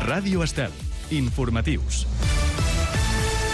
Ràdio Estel. Informatius.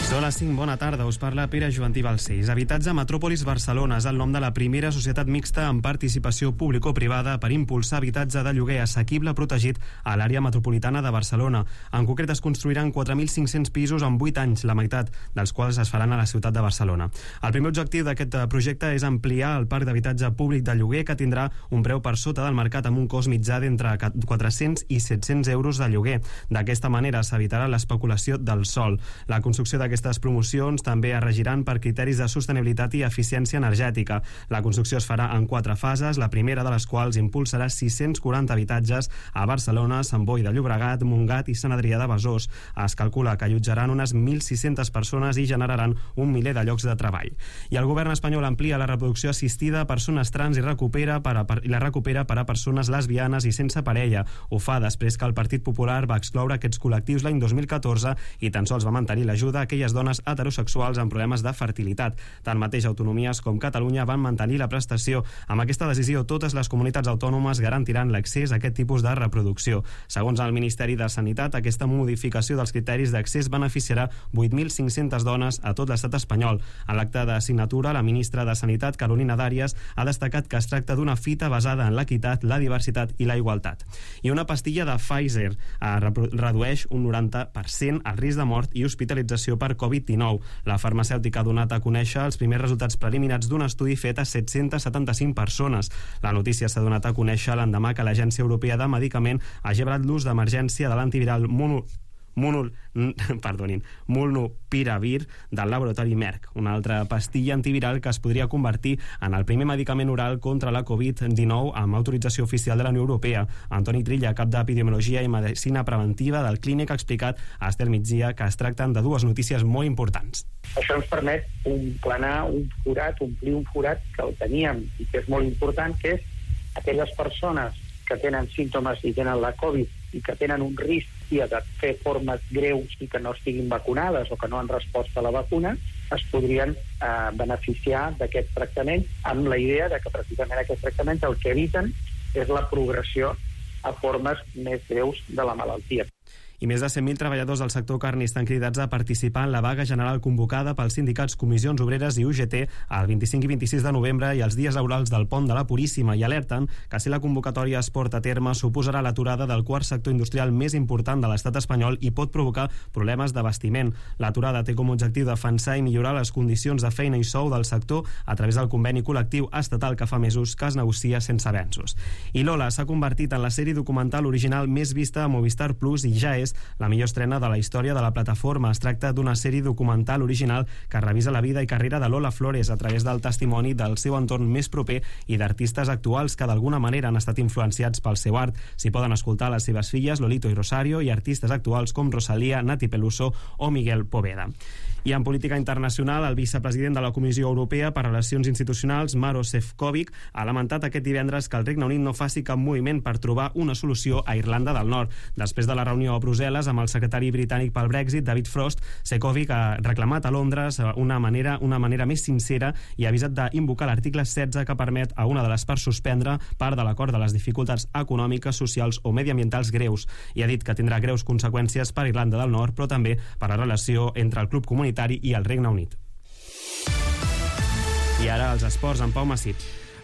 Són les 5, bona tarda, us parla Pere Joventí Balcells. Habitatge Metròpolis Barcelona és el nom de la primera societat mixta amb participació público-privada per impulsar habitatge de lloguer assequible protegit a l'àrea metropolitana de Barcelona. En concret es construiran 4.500 pisos en 8 anys, la meitat dels quals es faran a la ciutat de Barcelona. El primer objectiu d'aquest projecte és ampliar el parc d'habitatge públic de lloguer, que tindrà un preu per sota del mercat amb un cost mitjà d'entre 400 i 700 euros de lloguer. D'aquesta manera s'evitarà l'especulació del sòl. La construcció d'aquestes promocions també es regiran per criteris de sostenibilitat i eficiència energètica. La construcció es farà en 4 fases, la primera de les quals impulsarà 640 habitatges a Barcelona, Sant Boi de Llobregat, Montgat i Sant Adrià de Besòs. Es calcula que allotjaran unes 1.600 persones i generaran 1 miler de llocs de treball. I el govern espanyol amplia la reproducció assistida a persones trans i la recupera per a persones lesbianes i sense parella. Ho fa després que el Partit Popular va excloure aquests col·lectius l'any 2014 i tan sols va mantenir l'ajuda a aquelles dones heterosexuals amb problemes de fertilitat. Tanmateix, autonomies com Catalunya van mantenir la prestació. Amb aquesta decisió, totes les comunitats autònomes garantiran l'accés a aquest tipus de reproducció. Segons el Ministeri de Sanitat, aquesta modificació dels criteris d'accés beneficiarà 8.500 dones a tot l'estat espanyol. En l'acte de signatura, la ministra de Sanitat, Carolina Dàries, ha destacat que es tracta d'una fita basada en l'equitat, la diversitat i la igualtat. I una pastilla de Pfizer redueix un 90% el risc de mort i hospitalització per Covid-19. La farmacèutica ha donat a conèixer els primers resultats preliminars d'un estudi fet a 775 persones. La notícia s'ha donat a conèixer l'endemà que l'Agència Europea de Medicament ha gebrat l'ús d'emergència de l'antiviral Molnupiravir del laboratori Merck, una altra pastilla antiviral que es podria convertir en el primer medicament oral contra la Covid-19 amb autorització oficial de la Unió Europea. Antoni Trilla, cap d'Epidemiologia i Medicina Preventiva del Clínic, ha explicat a Estel Migdia que es tracten de dues notícies molt importants. Això ens permet omplir un forat que el teníem i que és molt important, que és aquelles persones que tenen símptomes i tenen la Covid i que tenen un risc de fer formes greus i que no estiguin vacunades o que no han respost a la vacuna, es podrien beneficiar d'aquest tractament, amb la idea de que precisament aquests tractaments el que eviten és la progressió a formes més greus de la malaltia. I més de 100.000 treballadors del sector carni estan cridats a participar en la vaga general convocada pels sindicats Comissions Obreres i UGT el 25 i 26 de novembre i els dies laborals del Pont de la Puríssima, i alerten que si la convocatòria es porta a terme suposarà l'aturada del quart sector industrial més important de l'estat espanyol i pot provocar problemes d'abastiment. L'aturada té com a objectiu defensar i millorar les condicions de feina i sou del sector a través del conveni col·lectiu estatal que fa mesos que es negocia sense avenços. I Lola s'ha convertit en la sèrie documental original més vista a Movistar Plus i ja és la millor estrena de la història de la plataforma. Es tracta d'una sèrie documental original que revisa la vida i carrera de Lola Flores a través del testimoni del seu entorn més proper i d'artistes actuals que d'alguna manera han estat influenciats pel seu art. S'hi poden escoltar les seves filles, Lolito i Rosario, i artistes actuals com Rosalía, Nati Peluso o Miguel Poveda. I en política internacional, el vicepresident de la Comissió Europea per Relacions Institucionals, Maroš Šefčovič, ha lamentat aquest divendres que el Regne Unit no faci cap moviment per trobar una solució a Irlanda del Nord. Després de la reunió a Brussel·les amb el secretari britànic pel Brexit, David Frost, Šefčovič ha reclamat a Londres una manera més sincera i ha avisat d'invocar l'article 16 que permet a una de les parts suspendre part de l'acord de les dificultats econòmiques, socials o mediambientals greus, i ha dit que tindrà greus conseqüències per Irlanda del Nord, però també per la relació entre el club comunitari i el Regne Unit. I ara els esports amb Pau Massip.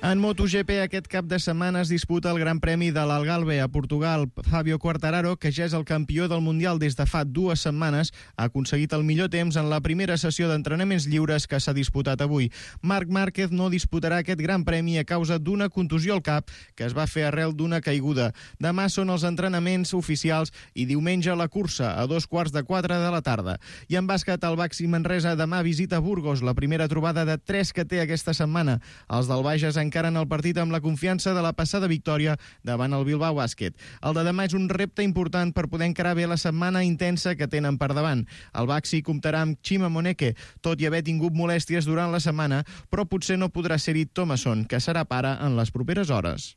En MotoGP aquest cap de setmana es disputa el Gran Premi de l'Algarve a Portugal. Fabio Quartararo, que ja és el campió del Mundial des de fa 2 setmanes, ha aconseguit el millor temps en la primera sessió d'entrenaments lliures que s'ha disputat avui. Marc Márquez no disputarà aquest Gran Premi a causa d'una contusió al cap que es va fer arrel d'una caiguda. Demà són els entrenaments oficials i diumenge la cursa a 3:15 de la tarda. I en bàsquet, el Baxi Manresa demà visita Burgos, la primera trobada de 3 que té aquesta setmana. Els del Bages encaren el partit amb la confiança de la passada victòria davant el Bilbao Bàsquet. El de demà és un repte important per poder encarar bé la setmana intensa que tenen per davant. El Baxi comptarà amb Chima Moneke, tot i haver tingut molèsties durant la setmana, però potser no podrà ser-hi Thomason, que serà pare en les properes hores.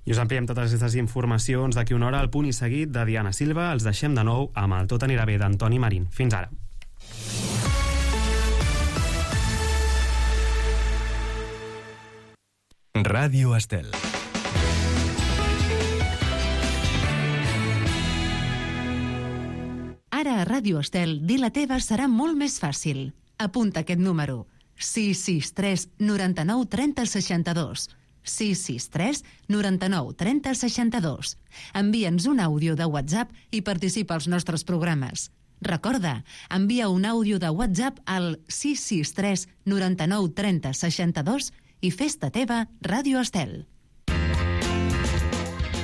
I us ampliem totes aquestes informacions d'aquí una hora al Punt i Seguit de Diana Silva. Els deixem de nou amb el Tot anirà bé d'Antoni Marín. Fins ara. Ràdio Estel. a Ràdio Estel, dir la teva serà molt més fàcil. Apunta aquest número: 663 99 30 62. 663 99 30 62. Envia'ns un àudio de WhatsApp i participa als nostres programes. Recorda, envia un àudio de WhatsApp al 663 99 30 62 i fes-te teva Ràdio Estel.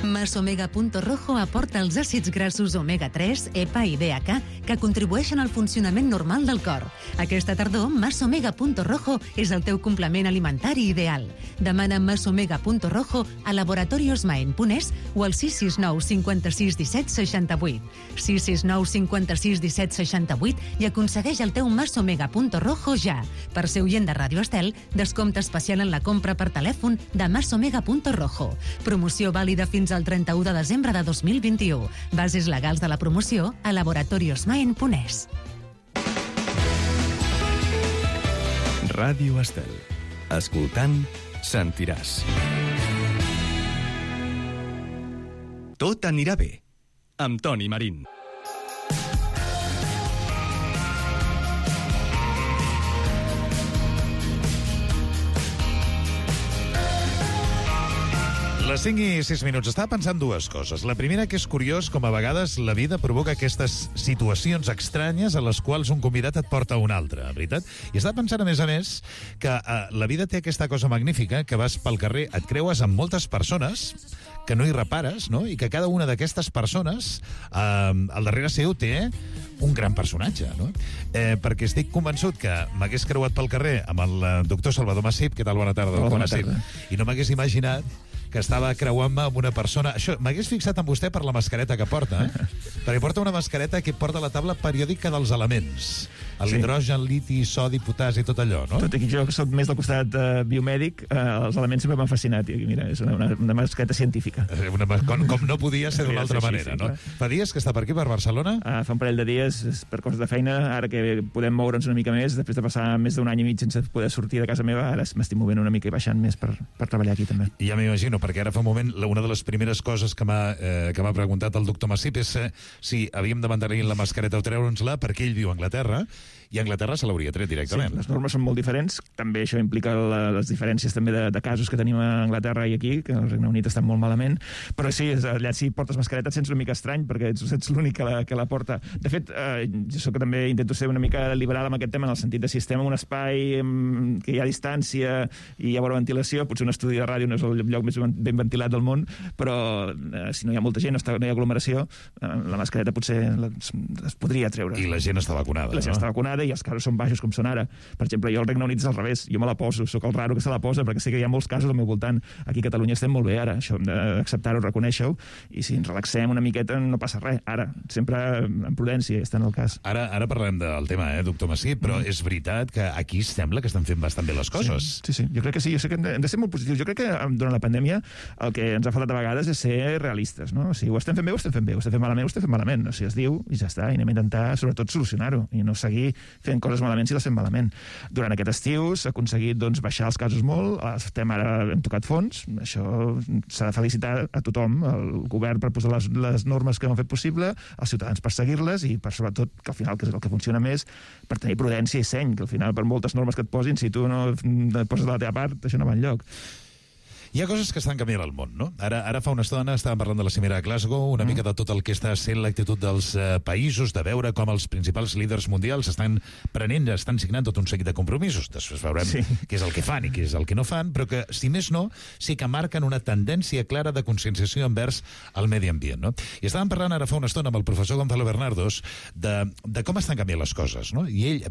Masomega.rojo aporta els àcids grassos omega-3, EPA i DHA que contribueixen al funcionament normal del cor. Aquesta tardor, Masomega.rojo és el teu complement alimentari ideal. Demana Masomega.rojo a laboratoriosmaen.es o al 669 56 17 68. 669 56 17 68 i aconsegueix el teu Masomega.rojo ja. Per ser oient de Ràdio Estel, descompte especial en la compra per telèfon de Masomega.rojo. Promoció vàlida fins al 31 de desembre de 2021. Bases legals de la promoció a laboratoriosmaen.es. Ràdio Estel. Escoltant, sentiràs. Tot anirà bé. Amb Toni Marín. Les 5 i 6 minuts. Estava pensant dues coses. La primera, que és curiós com a vegades la vida provoca aquestes situacions estranyes a les quals un convidat et porta a un altre, veritat? I estava pensant, a més, que la vida té aquesta cosa magnífica, que vas pel carrer, et creues amb moltes persones que no hi repares, no? I que cada una d'aquestes persones al darrere seu té un gran personatge, no? Perquè estic convençut que m'hagués creuat pel carrer amb el doctor Salvador Massip. Què tal? Bona tarda, doctor Massip. I no m'hagués imaginat que estava creuant-me amb una persona... Això, m'hagués fixat en vostè per la mascareta que porta, perquè porta una mascareta que porta la taula periòdica dels elements. L'hidrogen, liti, sodi, potasi, tot allò, no? Tot aquí, jo que soc més del costat biomèdic, els elements sempre m'han fascinat. I mira, és una mascareta científica. Com no podia ser d'una altra manera, no? Fa dies que està per aquí, per Barcelona? Fa un parell de dies, per coses de feina, ara que podem moure'ns una mica més, després de passar més d'un any i mig sense poder sortir de casa meva, ara m'estic movent una mica i baixant més per treballar aquí, també. Ja m'imagino, perquè ara fa un moment una de les primeres coses que m'ha preguntat el doctor Massip és si havíem de mantenir la mascareta o treure'ns-la, perquè ell viu a Anglaterra, i a Anglaterra se l'hauria tret directament. Sí, les normes són molt diferents. També això implica les diferències també de casos que tenim a Anglaterra i aquí, que al Regne Unit estan molt malament. Però sí, allà si portes mascareta et sents una mica estrany, perquè ets l'únic que la porta. De fet, jo que també intento ser una mica liberal amb aquest tema, en el sentit de si estem en un espai que hi ha distància i hi ha bona ventilació, potser un estudi de ràdio no és el lloc més ben ventilat del món, però si no hi ha molta gent, no hi ha aglomeració, la mascareta potser es podria treure. I la gent està vacunada, La gent està vacunada i els casos són baixos com són ara. Per exemple, jo al Regne Unit és al revés. Jo me la poso, sóc el raro que se la posa, perquè sé que hi ha molts casos al meu voltant. Aquí a Catalunya estem molt bé ara, això hem d'acceptar-ho, reconèixer-ho, i si ens relaxem una miqueta no passa res. Ara, sempre amb prudència, està en el cas. Ara parlem del tema, doctor Massip, però és veritat que aquí sembla que estan fent bastant bé les coses. Sí, jo crec que sí. Jo sé que hem de ser molt positius. Jo crec que durant la pandèmia el que ens ha faltat a vegades és ser realistes, no? O sigui, ho estem fent bé, ho estem fent bé, ho estem fent malament, ho estem fent malament. O sigui, es diu i ja està, i anem a intentar, sobretot, solucionar-ho i no seguir fent coses malament si les fem malament. Durant aquest estiu s'ha aconseguit baixar els casos molt, hem tocat fons, això s'ha de felicitar a tothom, el govern per posar les normes que ho han fet possible, els ciutadans per seguir-les i per sobretot que al final, que és el que funciona més, per tenir prudència i seny, que al final per moltes normes que et posin, si tu no poses de la teva part, això no va enlloc. Hi ha coses que estan canviant al món, no? Ara fa una estona estàvem parlant de la cimera a Glasgow, una mica de tot el que està sent l'actitud dels països, de veure com els principals líders mundials estan signant tot un seguit de compromisos. Després veurem què és el que fan i què és el que no fan, però que, si més no, sí que marquen una tendència clara de conscienciació envers el medi ambient, no? I estàvem parlant ara fa una estona amb el professor Gonzalo Bernardos de com estan canviant les coses, no? I ell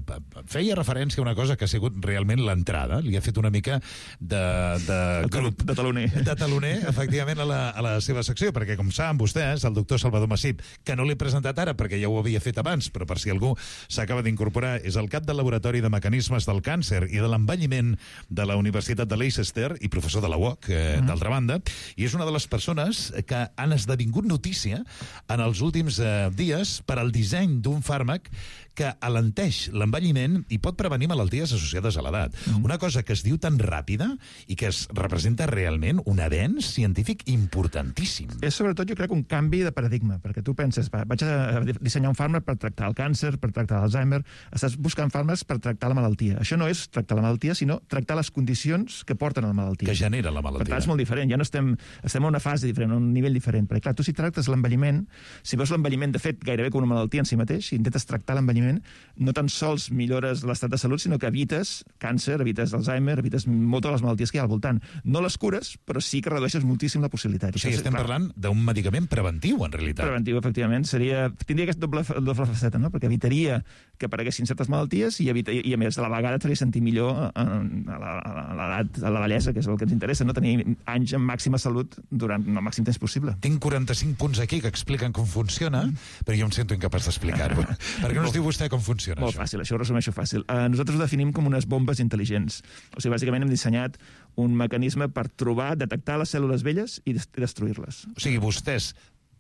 feia referència a una cosa que ha sigut realment l'entrada, li ha fet una mica de taloner, efectivament, a la seva secció, perquè, com saben vostès, el doctor Salvador Massip, que no l'he presentat ara perquè ja ho havia fet abans, però per si algú s'acaba d'incorporar, és el cap del Laboratori de Mecanismes del Càncer i de l'Envelliment de la Universitat de Leicester i professor de la UOC, d'altra banda, i és una de les persones que han esdevingut notícia en els últims dies per al disseny d'un fàrmac que alenteix l'envelliment i pot prevenir malalties associades a l'edat. Una cosa que es diu tan ràpida i que es representa realment un avenç científic importantíssim. És sobretot, jo crec, un canvi de paradigma, perquè tu penses, vaig a dissenyar un fàrmac per tractar el càncer, per tractar l'Alzheimer, estàs buscant fàrmacs per tractar la malaltia. Això no és tractar la malaltia, sinó tractar les condicions que porten a la malaltia. Que genera la malaltia. Per tant, és molt diferent, ja no estem en una fase diferent, en un nivell diferent. Perquè, clar, tu si tractes l'envelliment, si veus l'envelliment, de fet, gairebé com una malaltia en si mateix, si intentes tractar l'envelliment, no tan sols millores l'estat de salut, sinó que evites càncer, evites Alzheimer, evites moltes de les malalties que hi ha al voltant. No les cures, però sí que redueixes moltíssim la possibilitat. O sigui, estem parlant d'un medicament preventiu, en realitat. Preventiu, efectivament. Tindria aquesta doble faceta, no? Perquè evitaria que apareguessin certes malalties i a més, a la vegada et faria sentir millor a l'edat, a la vellesa, que és el que ens interessa, no? Tenir anys amb màxima salut durant el màxim temps possible. Tinc 45 punts aquí que expliquen com funciona, però jo em sento incapaç d'explicar-ho. Per què no ens diu vostè com funciona Molt fàcil, això ho resumeixo fàcil. Nosaltres ho definim com unes bombes intel·ligents. O sigui, bàsicament hem dissenyat un mecanisme per trobar, detectar les cèl·lules velles i destruir-les. O sigui, vostès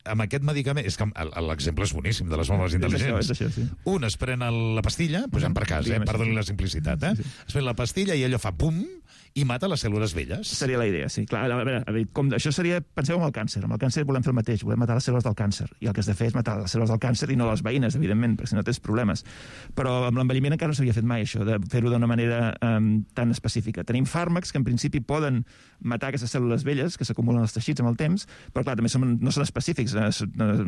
amb aquest medicament... És que l'exemple és boníssim, de les bombes intel·ligents. És això, sí. Un es pren la pastilla, posem per cas, perdoni la simplicitat, es pren la pastilla i allò fa pum i mata les cèl·lules velles. Seria la idea, sí. Clar, a veure, això seria... Penseu en el càncer. Amb el càncer volem fer el mateix, volem matar les cèl·lules del càncer. I el que has de fer és matar les cèl·lules del càncer i no les veïnes, evidentment, perquè si no tens problemes. Però amb l'envelliment encara no s'havia fet mai, això, de fer-ho d'una manera tan específica. Tenim fàrmacs que en principi poden matar aquestes cèl·lules velles que s'acumulen als teixits amb el temps, però clar, també no són específics,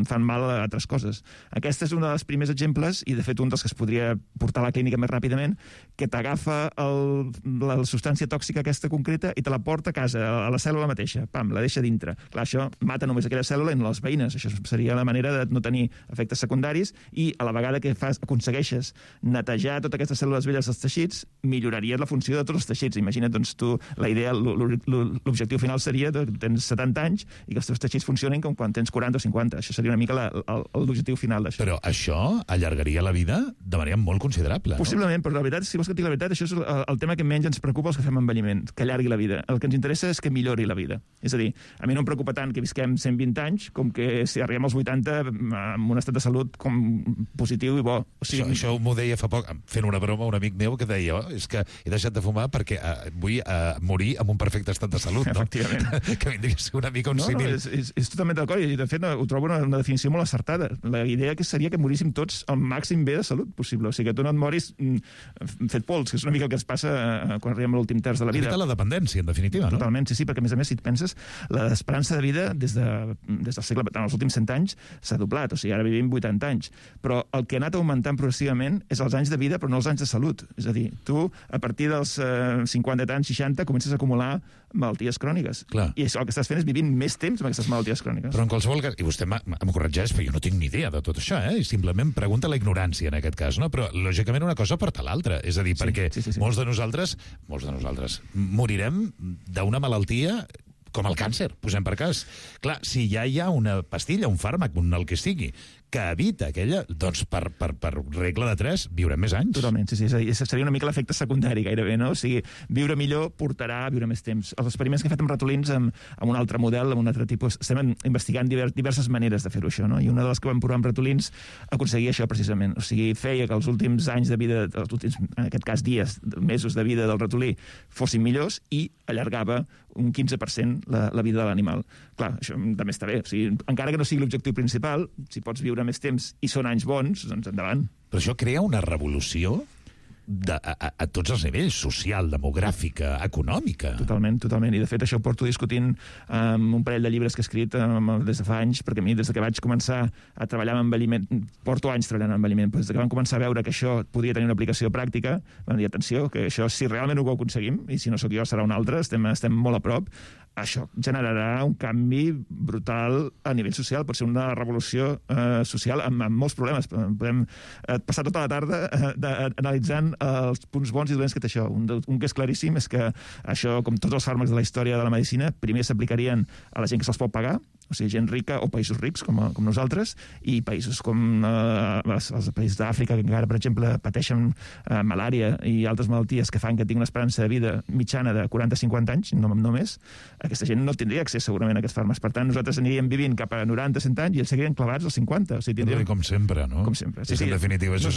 fan mal a altres coses. Aquest és un dels primers exemples, i de fet un dels que es podria portar a la clínica més ràpidament, que t'agafa la substància tòxica aquesta concreta i te la porta a casa, a la cèl·lula mateixa. Pam, la deixa dintre. Clar, això mata només aquella cèl·lula i no les veïnes. Això seria la manera de no tenir efectes secundaris i a la vegada que aconsegueixes netejar totes aquestes cèl·lules velles dels teixits, milloraries la funció de tots els teixits. Imagina't, doncs, tu, la idea, l'objectiu final seria que tens 70 anys i que els teus teixits funcionin com quan tens 40 o 50. Això seria una mica l'objectiu final d'això. Però això allargaria la vida de manera molt considerable, no? Possiblement, però la veritat, si vols que et digui la veritat, això és el tema que menys ens preocupa els que fem envelliment, que allargui la vida. El que ens interessa és que millori la vida. És a dir, a mi no em preocupa tant que visquem 120 anys com que si arribem als 80 amb un estat de salut com positiu i bo. O sigui... Això m'ho deia fa poc, fent una broma, un amic meu que deia és que he deixat de fumar perquè vull morir amb un perfecte estat de salut, no? Efectivament. Que vindria a ser una mica un símil. És totalment d'acord, i de fet ho trobo una definició molt acertada. La idea que seria que moríssim tots al màxim bé de salut possible. O sigui, que tu no et moris fet pols, que és una mica el que ens passa quan arribem a l'últim terç de la vida. Evita la dependència, en definitiva, no? Totalment, sí, perquè a més, si et penses, l'esperança de vida des del segle, en els últims 100 anys s'ha doblat, o sigui, ara vivim 80 anys. Però el que ha anat augmentant progressivament és els anys de vida, però no els anys de salut. És a dir, tu, a partir dels 50 anys, 60, comences a acumular malalties cròniques. Clar. I això el que estàs fent és vivint més temps amb aquestes malalties cròniques. Però en qualsevol cas, i vostè m'ha corregeix, però jo no tinc ni idea de tot això, i simplement pregunta la ignorància en aquest cas, no? Però lògicament una cosa porta l'altra, és a dir, perquè molts de nosaltres morirem d'una malaltia com el càncer, posem per cas. Clar, si ja hi ha una pastilla, un fàrmac, el que sigui, que evita aquella, doncs per regla de 3 viurem més anys. Totalment, sí. Seria una mica l'efecte secundari gairebé, no? O sigui, viure millor portarà a viure més temps. Els experiments que he fet amb ratolins, amb un altre model, amb un altre tipus, estem investigant diverses maneres de fer-ho això, no? I una de les que vam provar amb ratolins aconseguia això precisament. O sigui, feia que els últims anys de vida, els últims, en aquest cas dies, mesos de vida del ratolí fossin millors i allargava un 15% la vida de l'animal. Clar, això també està bé. O sigui, encara que no sigui l'objectiu principal, si pots viure més temps i són anys bons, doncs endavant. Però això crea una revolució a tots els nivells, social, demogràfica, econòmica. Totalment. I de fet això ho porto discutint amb un parell de llibres que he escrit des de fa anys, perquè a mi des que vaig començar a treballar amb envelliment, porto anys treballant amb envelliment, però des que vam començar a veure que això podia tenir una aplicació pràctica, vam dir, atenció, que això si realment ho aconseguim, i si no sóc jo serà un altre, estem molt a prop, això generarà un canvi brutal a nivell social, pot ser una revolució social amb molts problemes. Podem passar tota la tarda analitzant els punts bons i dolents que té això. Un que és claríssim és que això, com tots els fàrmacs de la història de la medicina, primer s'aplicarien a la gent que se'ls pot pagar, o sigui, gent rica o països rics, com nosaltres, i països com els països d'Àfrica, que encara, per exemple, pateixen malària i altres malalties que fan que tingui una esperança de vida mitjana de 40-50 anys, no més. Aquesta gent no tindria accés segurament a aquests fàrmacs. Per tant, nosaltres aniríem vivint cap a 90-100 anys i ells seguirien clavats als 50. O sigui, tindríem... Com sempre, no? Com sempre. Sí, en definitiva, això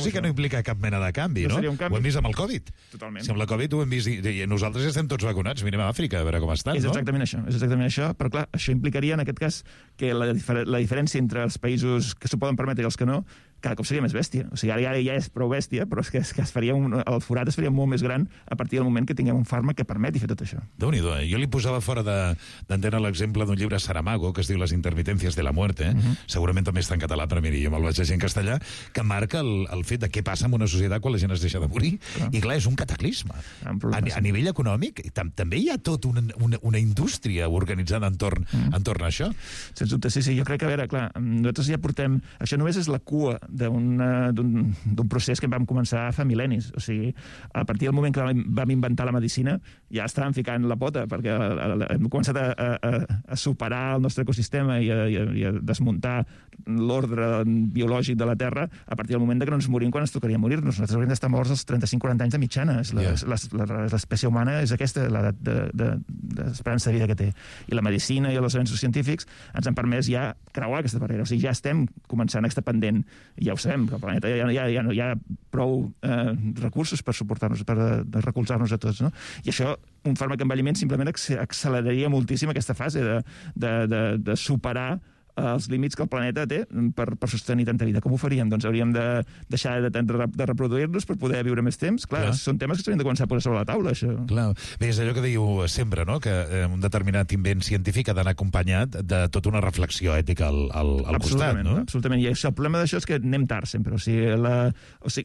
sí que no implica cap mena de canvi, no? Ho hem vist amb el Covid. Totalment. Si amb la Covid ho hem vist i nosaltres estem tots vacunats. Mirem a Àfrica, a veure com estan, no? És exactament això. Però, clar, això implicaria, en aquest cas, que la diferència entre els països que s'ho poden permetre i els que no, cada cop seria més bèstia. O sigui, ara ja és prou bèstia, però és que el forat es faria molt més gran a partir del moment que tinguem un fàrmac que permeti fer tot això. Déu-n'hi-do, Jo li posava fora d'antena l'exemple d'un llibre Saramago, que es diu Las intermitencias de la muerte, segurament també està en català, però miri, jo me'l vaig llegir en castellà, que marca el fet de què passa en una societat quan la gent es deixa de morir. I clar, és un cataclisme. A nivell econòmic, també hi ha tot una indústria organitzada entorn a això. Sens dubte, sí. Jo crec que, a veure, clar, nosaltres ja portem... Això només és la cua d'un procés que vam començar fa mil·lennis. O sigui, a partir del moment que vam inventar la medicina, ja estàvem ficant la pota, perquè hem començat a superar el nostre ecosistema i a desmuntar l'ordre biològic de la Terra a partir del moment que no ens morim quan ens tocaria morir-nos. Nosaltres hauríem d'estar morts als 35-40 anys de mitjana. L'espècie humana és aquesta, l'edat d'esperança de vida que té. I la medicina i els avenços científics ens han permès ja creuar aquesta barrera. O sigui, ja estem començant a estar pendent. Ja ho sabem, que al planeta ja hi ha prou recursos per suportar-nos, per recolzar-nos a tots, no? I això, un fàrmac d'envelliment simplement acceleraria moltíssim aquesta fase de superar els límits que el planeta té per sostenir tanta vida. Com ho faríem? Doncs hauríem de deixar de reproduir-nos per poder viure més temps. Clar, són temes que s'haurien de començar a posar sobre la taula, això. Clar. Bé, és allò que diu sempre, no?, que un determinat invent científic ha d'anar acompanyat de tota una reflexió ètica al costat, no? Absolutament. I això, el problema d'això és que anem tard sempre. O sigui,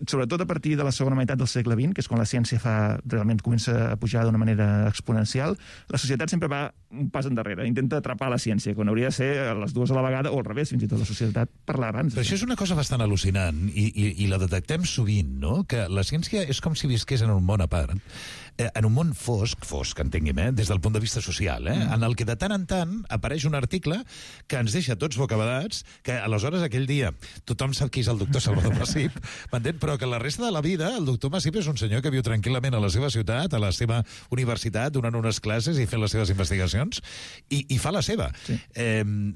sobretot a partir de la segona meitat del segle XX, que és quan la ciència realment comença a pujar d'una manera exponencial, la societat sempre va un pas endarrere, intenta atrapar la ciència, quan hauria de ser a les dues a la vegada, o al revés, fins i tot la societat parlar abans. Però això és una cosa bastant al·lucinant, i la detectem sovint, no?, que la ciència és com si visqués en un món a part, en un món fosc, entengui'm, des del punt de vista social, en el que de tant en tant apareix un article que ens deixa tots bocabadats, que aleshores aquell dia tothom sap qui és el doctor Salvador Massip, m'entén? Però que la resta de la vida el doctor Massip és un senyor que viu tranquil·lament a la seva ciutat, a la seva universitat, donant unes classes i fent les seves investigacions, i fa la seva. Sí.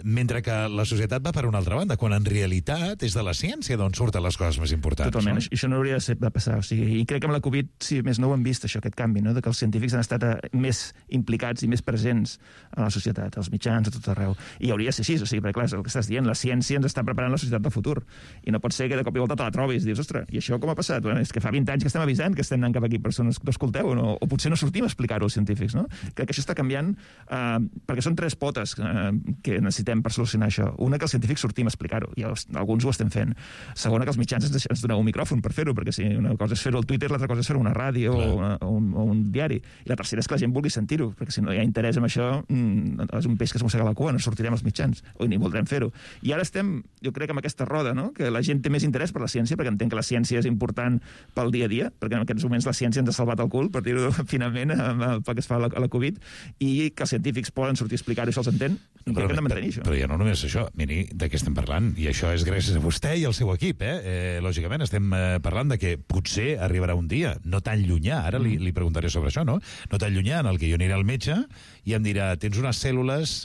Mentre que la societat va per una altra banda, quan en realitat és de la ciència d'on surten les coses més importants. Totalment, no? Això no hauria de passar. O sigui, i crec que amb la Covid, si més no ho hem vist, això, aquest canvi, no?, de que els científics han estat més implicats i més presents a la societat, als mitjans, a tot arreu. I hauria de ser així, o sigui, perquè clar, és el que estàs dient, la ciència ens està preparant la societat del futur. I no pot ser que de cop i volta te la trobis i dius, ostres, i això com ha passat? Bueno, és que fa 20 anys que estem avisant que estem anant cap aquí, persones que no escolteu, o potser no sortim a explicar-ho als científics, no? Crec que això està canviant perquè són tres potes que necessitem per solucionar això. Una, que els científics sortim a explicar-ho, i alguns ho estem fent. Segona, que els mitjans ens doneu un micròfon per fer-ho, perquè si una cosa és fer-ho al Twitter, l'altra cosa és fer-ho a una ràdio o un diari. I la tercera és que la gent vulgui sentir-ho, perquè si no hi ha interès en això, és un peix que es mossega la cua, no sortirem als mitjans, o ni voldrem fer-ho. I ara estem, jo crec, amb aquesta roda, no?, que la gent té més interès per la ciència, perquè entenc que la ciència és important pel dia a dia, perquè en aquests moments la ciència ens ha salvat el cul, per dir-ho finament, pel que es fa a la Covid, i que els científics poden sortir a explicar-ho, això els entén, i crec que hem de mantenir això. Però ja no només això, miri, de què estem parlant, i això és gràcies a vostè i al seu equip, lògicament estem parlant de que potser arribarà un dia, no tan llunyà, ara li preguntaré sobre això, no tan llunyà, en el que jo aniré al metge i em dirà, tens unes cèl·lules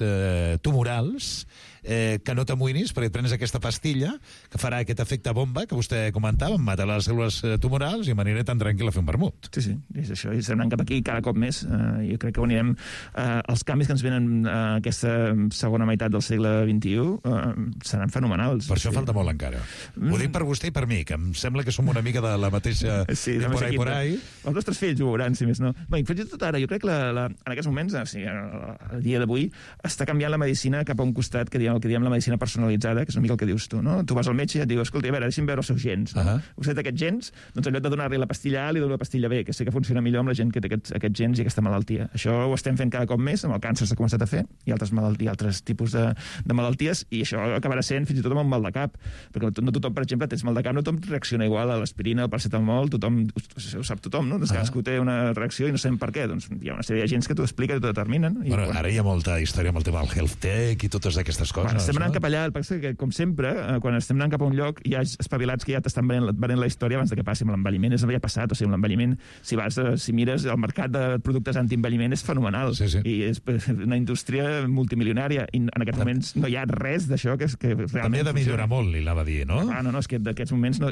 tumorals que no t'amoïnis perquè et prenes aquesta pastilla que farà aquest efecte bomba que vostè comentava, em mata les cèl·lules tumorals i m'aniré tan tranquil a fer un vermut. Sí, és això, i estem anant cap aquí cada cop més. Jo crec que anirem... els canvis que ens venen aquesta segona meitat del segle XXI seran fenomenals. Per això falta molt encara. Ho dic per vostè i per mi, que em sembla que som una mica de la mateixa... Sí, por ahí. Els nostres fills ho veuran, si més no. Bé, fins i tot ara, jo crec que en aquests moments, a dia d'avui, està canviant la medicina cap a un costat que el que diem la medicina personalitzada, que és una mica el que dius tu, no? Tu vas al metge i et diu, escolta, a veure, deixi'm veure els seus gens. Vostè té aquests gens, doncs en lloc de donar-li la pastilla A, li dono la pastilla B, que sé que funciona millor amb la gent que té aquests gens i aquesta malaltia. Això ho estem fent cada cop més, amb el càncer s'ha començat a fer, i altres tipus de malalties, i això acabarà sent fins i tot amb un mal de cap, perquè no tothom, per exemple, tens mal de cap, no tothom reacciona igual a l'aspirina, al paracetamol, tothom, ho sap tothom, no? Cadascú té una reacció i no sabem per què. Doncs hi ha una sèrie de gens que t'ho explica i t'ho determinen. Bueno, ara hi ha molta història amb el tema del health tech i totes aquestes coses. Bueno, estem anant cap allà, el que, com sempre, quan estem anant cap a un lloc, hi ha espavilats que ja t'estan venent la història abans de que passi. Amb l'envelliment és ja passat, o sigui, l'envelliment, si mires el mercat de productes antienvelliment és fenomenal, i és una indústria multimilionària, i en aquests moments no hi ha res d'això que realment també ha de millorar molt, li anava a dir, no? No, és que d'aquests moments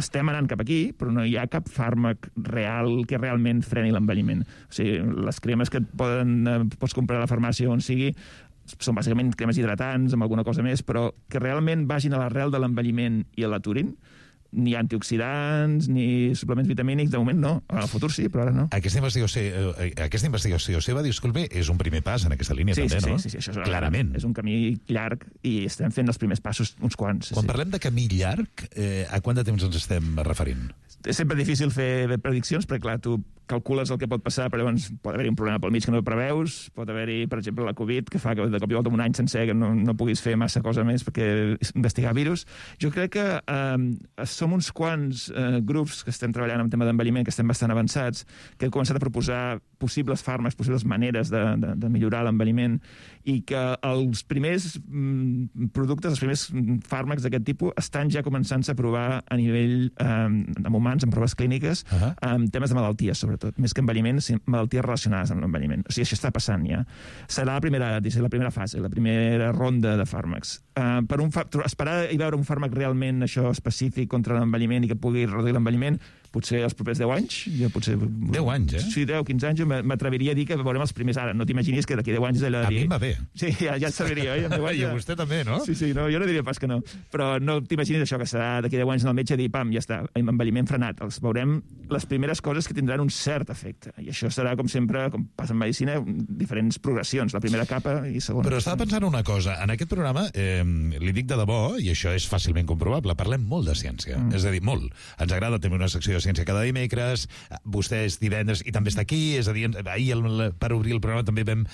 estem anant cap aquí, però no hi ha cap fàrmac real que realment freni l'envelliment. O sigui, les cremes que pots comprar a la farmàcia on sigui són bàsicament cremes hidratants amb alguna cosa més, però que realment vagin a l'arrel de l'envelliment i l'aturin. Ni antioxidants, ni suplements vitamínics, de moment no. En el futur sí, però ara no. Aquesta investigació seva, disculpi, és un primer pas en aquesta línia, també, no? Sí, això clarament. És un camí llarg i estem fent els primers passos, uns quants. Quan parlem de camí llarg, a quant de temps ens estem referint? És sempre difícil fer prediccions, perquè, clar, tu calcules el que pot passar, però llavors pot haver-hi un problema pel mig que no preveus, pot haver-hi, per exemple, la Covid, que fa que de cop i volta un any sencer que no puguis fer massa cosa més perquè investigar virus. Jo crec que som uns quants grups que estem treballant en tema d'envelliment, que estem bastant avançats, que hem començat a proposar possibles fàrmacs, possibles maneres de millorar l'envelliment, i que els primers productes, els primers fàrmacs d'aquest tipus estan ja començant-se a provar a nivell amb humans, en proves clíniques, en temes de malalties, sobretot, més que envelliment, malalties relacionades amb l'envelliment. O sigui, això està passant ja. Serà la primera fase, la primera ronda de fàrmacs. Esperar i veure un fàrmac realment això específic contra l'envelliment i que pugui reduir l'envelliment, potser els propers 10 anys. 10 anys, eh? Sí, 10-15 anys, m'atreviria a dir que veurem els primers ara. No t'imaginis que d'aquí 10 anys... A mi em va bé. Sí, ja et serviria, oi? I a vostè també, no? Sí, no, jo no diria pas que no. Però no t'imaginis això, que serà d'aquí 10 anys al metge dir, pam, ja està, envelliment frenat. Els veurem les primeres coses que tindran un cert efecte. I això serà, com sempre, com passa en medicina, diferents progressions, la primera capa i segona. Però estava pensant una cosa. En aquest programa, li dic de debò, i això és fàcilment comprovable, parlem molt de ciència. És a dir, molt. Ens agrada tenir una secció de ciència cada dimecres, vostè és divendres i també està aquí, és a dir, ahir per obrir el programa també en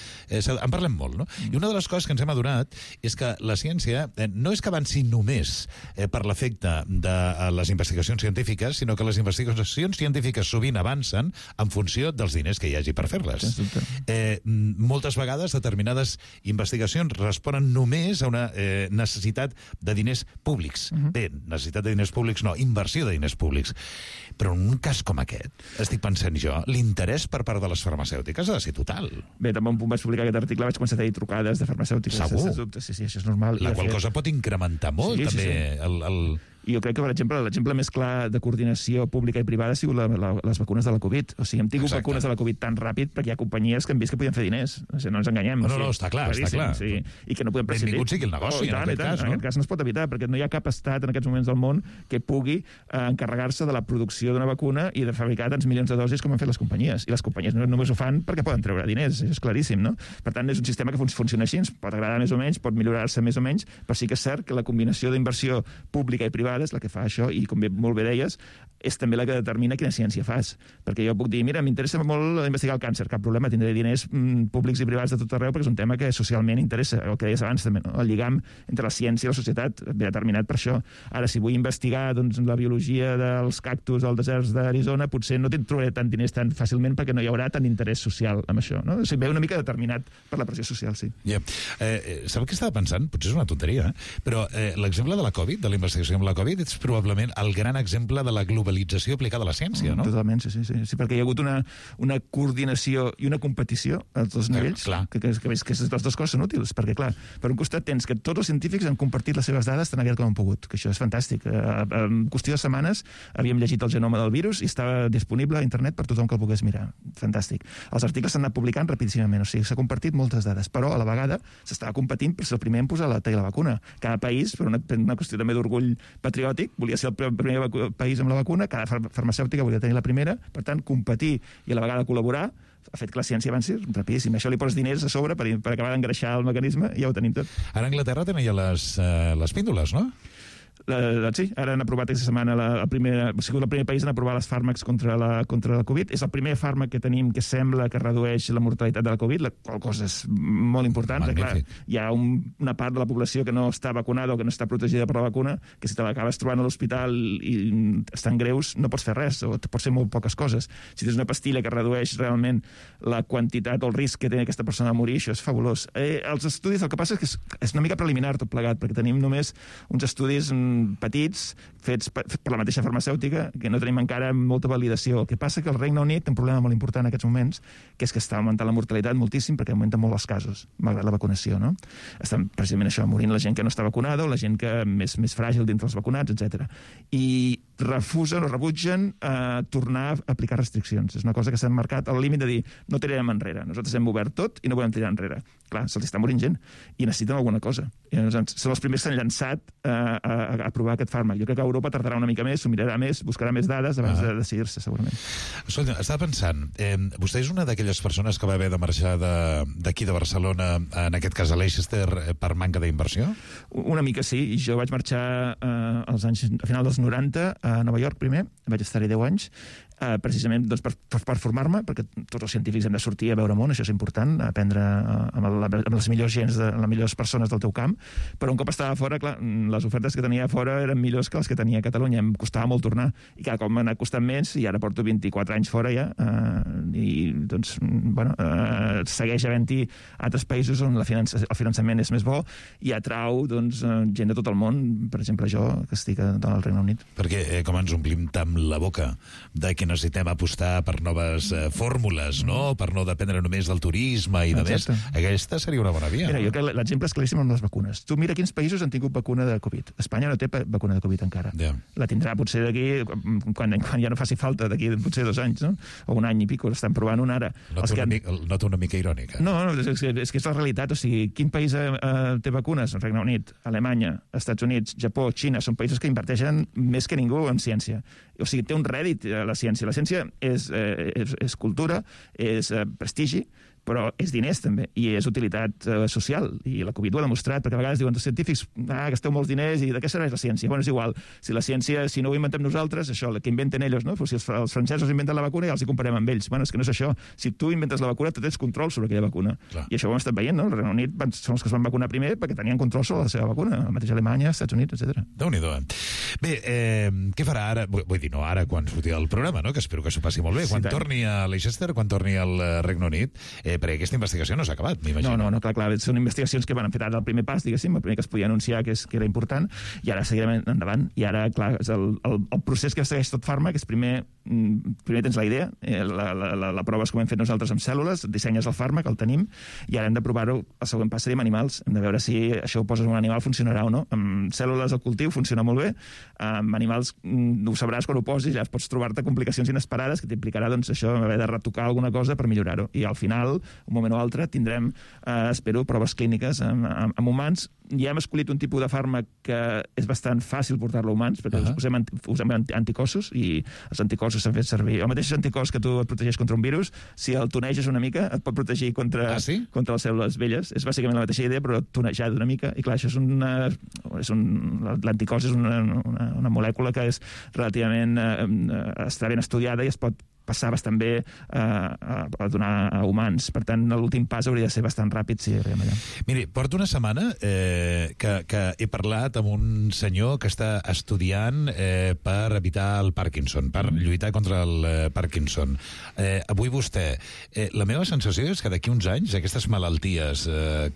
parlem molt, no? I una de les coses que ens hem adonat és que la ciència no és que avanci només per l'efecte de les investigacions científiques, sinó que les investigacions científiques sovint avancen en funció dels diners que hi hagi per fer-les. Moltes vegades determinades investigacions responen només a una necessitat de diners públics. Bé, necessitat de diners públics no, inversió de diners públics. Però en un cas com aquest, estic pensant jo, l'interès per part de les farmacèutiques ha de ser total. Bé, també un punt vaig publicar aquest article, vaig començar a tenir trucades de farmacèutiques. Segur. Sí, això és normal. La qual cosa pot incrementar molt, també, I jo crec que, per exemple, l'exemple més clar de coordinació pública i privada ha sigut les vacunes de la Covid. O sigui, hem tingut vacunes de la Covid tan ràpid perquè hi ha companyies que hem vist que podien fer diners. O sigui, no ens enganyem. No, està clar. Sí. I que no podem prescindir. Benvingut sigui el negoci, en aquest cas, no? En aquest cas no es pot evitar, perquè no hi ha cap estat en aquests moments del món que pugui encarregar-se de la producció d'una vacuna i de fabricar tants milions de dosis com han fet les companyies. I les companyies només ho fan perquè poden treure diners, això és claríssim, no? Per tant, és un sistema que funciona així, ens pot agradar més o menys, pot millorar-se més o menys, però sí que és cert que la combinació d'inversió pública i privada és la que fa això, i com molt bé deies, és també la que determina quina ciència fas. Perquè jo puc dir, mira, m'interessa molt investigar el càncer, cap problema, tindré diners públics i privats de tot arreu, perquè és un tema que socialment interessa, el que deies abans també, no? El lligam entre la ciència i la societat ve determinat per això. Ara, si vull investigar la biologia dels cactus als deserts d'Arizona, potser no trobaré tant diners tan fàcilment perquè no hi haurà tant interès social amb això, no? O sigui, ve una mica determinat per la pressió social, sí. Sap què estava pensant? Potser és una tonteria, però l'exemple de la Covid, de la investigació amb la Covid, és probablement el gran exemple de la globalització aplicada a la ciència, no? Totalment, sí, perquè hi ha hagut una coordinació i una competició als dos nivells, que les dues coses són útils, perquè, clar, per un costat tens que tots els científics han compartit les seves dades tan aviat com han pogut, que això és fantàstic. En qüestió de setmanes havíem llegit el genoma del virus i estava disponible a internet per tothom que el pogués mirar. Fantàstic. Els articles s'han anat publicant rapidíssimament, o sigui, s'ha compartit moltes dades, però a la vegada s'estava competint per ser el primer en posar la vacuna. Cada país, per una qüestió també d'orgull patriòtic, volia ser el primer país amb la vacuna, cada farmacèutica volia tenir la primera, per tant, competir i a la vegada col·laborar ha fet que la ciència avanci rapidíssim. Això li poses diners a sobre per acabar d'engreixar el mecanisme i ja ho tenim tot. Ara a Anglaterra tenen ja les píndoles, no? Sí, ara han aprovat aquesta setmana el primer país en aprovar les fàrmacs contra la Covid. És el primer fàrmac que tenim que sembla que redueix la mortalitat de la Covid, la qual cosa és molt important. Clar, hi ha una part de la població que no està vacunada o que no està protegida per la vacuna, que si te l'acabes trobant a l'hospital i estan greus, no pots fer res, o pots fer molt poques coses. Si tens una pastilla que redueix realment la quantitat o el risc que té aquesta persona de morir, això és fabulós. Els estudis, el que passa és que és una mica preliminar tot plegat, perquè tenim només uns estudis petits, fets per la mateixa farmacèutica, que no tenim encara molta validació. El que passa que el Regne Unit té un problema molt important en aquests moments, que és que està augmentant la mortalitat moltíssim perquè augmenten molt els casos, malgrat la vacunació, no? Estan precisament això, morint la gent que no està vacunada o la gent que més fràgil dintre els vacunats, etc. I refusen o rebutgen tornar a aplicar restriccions. És una cosa que s'ha marcat al límit de dir no tirarem enrere. Nosaltres hem obert tot i no volem tirar enrere. Clar, se'ls està morint gent i necessiten alguna cosa. Són els primers que s'han llançat a provar aquest fàrmac. Jo crec que Europa tardarà una mica més, s'ho mirarà més, buscarà més dades abans de decidir-se, segurament. Escolta, estava pensant, vostè és una d'aquelles persones que va haver de marxar d'aquí de Barcelona, en aquest cas a Leicester, per manca d'inversió? Una mica sí. Jo vaig marxar a final dels 90 a Nova York primer, vaig estar-hi 10 anys, precisament doncs, per formar-me, perquè tots els científics hem de sortir a veure món, això és important, aprendre amb les millors gens, les millors persones del teu camp, però un cop estava fora, clar, les ofertes que tenia fora eren millors que les que tenia a Catalunya, em costava molt tornar, i cada cop m'ha anat costant menys, i ara porto 24 anys fora ja, i doncs, bueno, segueix havent-hi altres països on el finançament és més bo, i atrau doncs, gent de tot el món, per exemple jo, que estic al Regne Unit. Perquè com ens omplim tant la boca de que necessitem apostar per noves fórmules, no? Per no dependre només del turisme i de més. Aquesta seria una bona via. Mira, jo crec que l'exemple és claríssim amb les vacunes. Tu mira quins països han tingut vacuna de Covid. Espanya no té vacuna de Covid encara. La tindrà potser d'aquí, quan ja no faci falta, d'aquí potser 2 anys, no? O un any i pico, l'estan provant una ara. Nota una mica irònica. No, és que és la realitat. O sigui, quin país té vacunes? El Regne Unit, Alemanya, Estats Units, Japó, Xina, són països que inverteixen més que ningú en ciència. O sigui, té un rèdit la ciència. La ciència és cultura, és prestigi, però és diners també, i és utilitat social, i la Covid ho ha demostrat, perquè a vegades diuen els científics, gasteu molts diners, i de què serveix la ciència? Bueno, és igual, si la ciència, si no ho inventem nosaltres, això, que inventen ells, no? Pues si els francesos inventen la vacuna, ja els hi comparem amb ells. Bueno, és que no és això. Si tu inventes la vacuna, tu tens control sobre aquella vacuna. Clar. I això ho hem estat veient, no? El Regne Unit són els que es van vacunar primer perquè tenien control sobre la seva vacuna, la mateixa Alemanya, Estats Units, etc. Déu-n'hi-do. Bé, què farà ara? Vull dir, no ara, quan surti el programa, no? Que espero que s'ho passi molt bé. Quan torni a Leicester, quan torni al Regne Unit, perquè aquesta investigació no s'ha acabat, m'imagino. No, clar, són investigacions que van fer ara el primer pas, diguéssim, el primer que es podia anunciar que era important, i ara seguirem endavant. I ara, clar, el procés que segueix tot fàrmac és primer tens la idea, la prova és com hem fet nosaltres amb cèl·lules, dissenyes el fàrmac, el tenim, i ara hem de provar-ho, el següent pas seria amb animals, hem de veure si això ho poses en un animal funcionarà o no. Amb cèl·lules al cultiu funciona molt bé, amb animals ho sabràs quan ho posis, ja pots trobar-te complicacions inesperades que t'implicarà, doncs, això, haver de retocar alguna cosa per millorar-ho. I al final, un moment o altre, tindrem, espero, proves clíniques amb humans. Ja hem escollit un tipus de fàrmac que és bastant fàcil portar-lo a humans, perquè usem anticossos, i els anticossos s'han fet servir. El mateix anticòs que tu et protegeix contra un virus, si el toneges una mica, et pot protegir contra les cèl·lules velles. És bàsicament la mateixa idea, però tonejada una mica. I clar, això l'anticòs és una molècula que és relativament està ben estudiada i es pot passar bastant bé a donar a humans. Per tant, l'últim pas hauria de ser bastant ràpid si arribem allà. Miri, porto una setmana que he parlat amb un senyor que està estudiant per evitar el Parkinson, per lluitar contra el Parkinson. Avui vostè, la meva sensació és que d'aquí uns anys aquestes malalties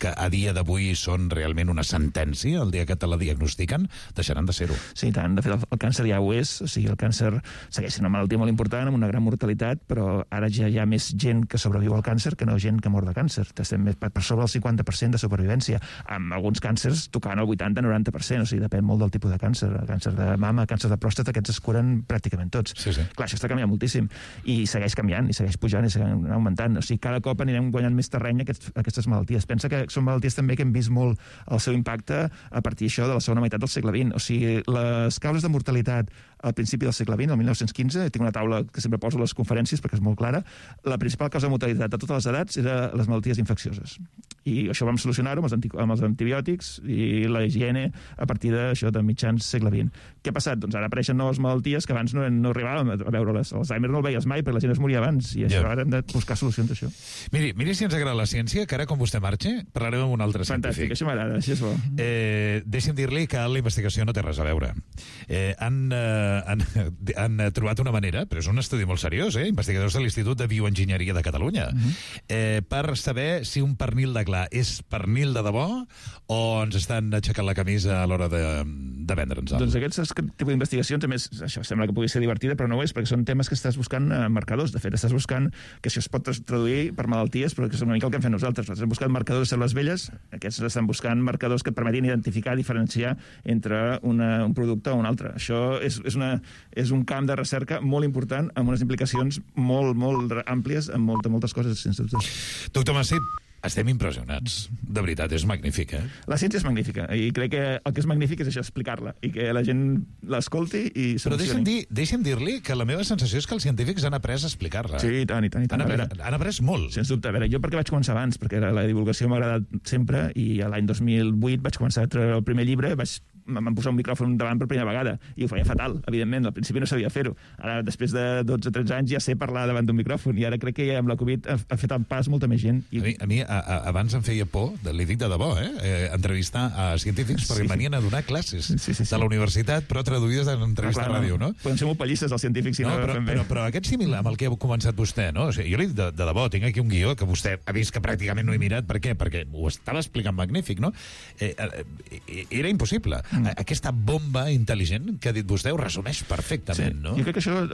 que a dia d'avui són realment una sentència, el dia que te la diagnostiquen, deixaran de ser-ho. Sí, tant. De fet, el càncer ja ho és. O sigui, el càncer segueix sent una malaltia molt important, amb una gran mortalitat, però ara ja hi ha més gent que sobreviu al càncer que no gent que mor de càncer. Estem per sobre del 50% de supervivència, amb alguns càncers tocant el 80-90%, o sigui, depèn molt del tipus de càncer. El càncer de mama, càncer de pròstata, aquests es curen pràcticament tots. Sí. Clar, això està canviant moltíssim, i segueix canviant, i segueix pujant, i segueix augmentant. O sigui, cada cop anirem guanyant més terreny aquestes malalties. Pensa que són malalties també que hem vist molt el seu impacte a partir d'això de la segona meitat del segle XX. O sigui, les causes de mortalitat al principi del segle XX, el 1915, tinc una taula que sempre poso a les conferències perquè és molt clara, la principal causa de mortalitat de totes les edats era les malalties infeccioses. I això vam solucionar-ho amb els antibiòtics i la higiene a partir d'això de mitjans segle XX. Què ha passat? Doncs ara apareixen noves malalties que abans no arribàvem a veure-les. L'Alzheimer no el veies mai perquè la gent es moria abans i això ara hem de buscar solucions a això. Miri si ens agrada la ciència, que ara quan vostè marxa parlarem amb un altre científic. Fantàstic, això m'agrada, això és bo. Deixi'm dir-li que la investigació no té res a veure. Han trobat una manera, però és un estudi molt seriós, investigadors de l'Institut de Bioenginyeria de Catalunya, per saber si un pernil de clar és pernil de debò o ens estan aixecant la camisa a l'hora de vendre'ns. Doncs aquests tipus d'investigacions, a més, això sembla que pugui ser divertida, però no ho és, perquè són temes que estàs buscant marcadors. De fet, estàs buscant que això es pot traduir per malalties, però que és una mica el que hem fet nosaltres. Nosaltres hem buscat marcadors de cèl·lules velles, aquests estan buscant marcadors que et permetin identificar, diferenciar entre un producte o un altre. Això és un camp de recerca molt important, amb unes implicacions molt, molt àmplies, amb moltes coses, sense dubte. Doctor Masip, estem impressionats. De veritat, és magnífic, La ciència és magnífica, i crec que el que és magnífic és això, explicar-la, i que la gent l'escolti i solucioni. Però deixi'm dir-li que la meva sensació és que els científics han après a explicar-la. Sí, i tant. Han après molt. Sens dubte. A veure, jo perquè vaig començar abans, perquè la divulgació m'ha agradat sempre, i l'any 2008 vaig començar a treure el primer llibre, em posar un micròfon davant per primera vegada, i ho feia fatal, evidentment, al principi no sabia fer-ho. Ara, després de 12-13 anys, ja sé parlar davant d'un micròfon, i ara crec que ja amb la Covid ha fet el pas molta més gent. A mi abans em feia por, li dic de debò, entrevistar a científics, perquè venien a donar classes de la universitat, però traduïdes en entrevista a ràdio, no? Podem ser molt pallistes, els científics, si no ho fem bé. Però aquest símil amb el que ha començat vostè, no? O sigui, jo li dic de debò, tinc aquí un guió que vostè ha vist que pràcticament no he mirat. Per què? Perquè ho estava explicant magnífic, no? Era impossible. Aquesta bomba intel·ligent que ha dit vostè ho resumeix perfectament, no? Jo crec que això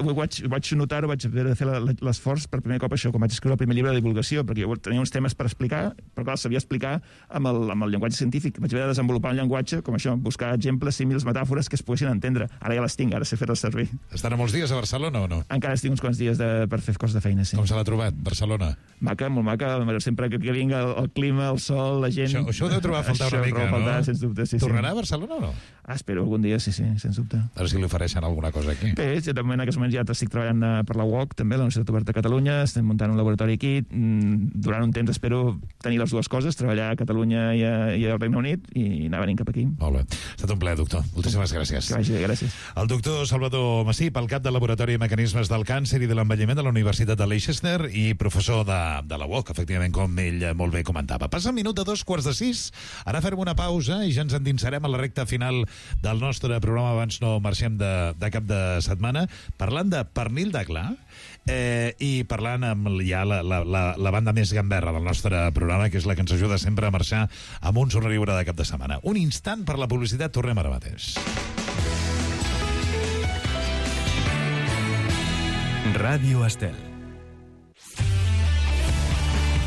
vaig notar-ho, vaig haver de fer l'esforç per primer cop això, quan vaig escriure el primer llibre de divulgació, perquè jo tenia uns temes per explicar, però clar, sabia explicar amb el llenguatge científic. Vaig haver de desenvolupar un llenguatge com això, buscar exemples, símils, metàfores que es poguessin entendre. Ara ja les tinc, ara sé fer-les servir. Estan molts dies a Barcelona o no? Encara estic uns quants dies per fer coses de feina, sí. Com se l'ha trobat, Barcelona? Maca, molt maca, sempre que vingui el clima, el sol, la gent... Això ho deu trobar a faltar una mica, no? Sens dubte, sí. Tornarà a Barcelona o no? Espero algun dia, sí, sens dubte. A veure si li ofereixen alguna cosa aquí. Bé, de moment, en aquests moments ja estic treballant per la UOC, també, la Universitat Oberta de Catalunya, estem muntant un laboratori aquí, durant un temps espero tenir les dues coses, treballar a Catalunya i al Regne Unit, i anar venint cap aquí. Molt bé. Ha estat un plaer, doctor. Moltíssimes gràcies. Que vagi bé, gràcies. El doctor Salvador Masip, el cap del Laboratori de Mecanismes del Càncer i de l'Envelliment de la Universitat de Leicester i professor de la UOC, efectivament, com ell molt bé comentava. Passa un minut de 5:45. Ara farem una pausa i ja ens endinsarem a la recta final del nostre programa, abans no marxem de cap de setmana, parlant de pernil de clar i parlant amb ja la banda més gamberra del nostre programa, que és la que ens ajuda sempre a marxar amb un somriure de cap de setmana. Un instant per la publicitat, tornem ara mateix. Ràdio Estel.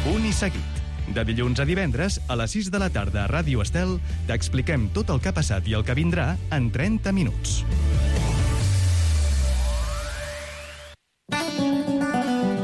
Punt i seguit. De dilluns a divendres, a les 6 de la tarda a Ràdio Estel, t'expliquem tot el que ha passat i el que vindrà en 30 minuts.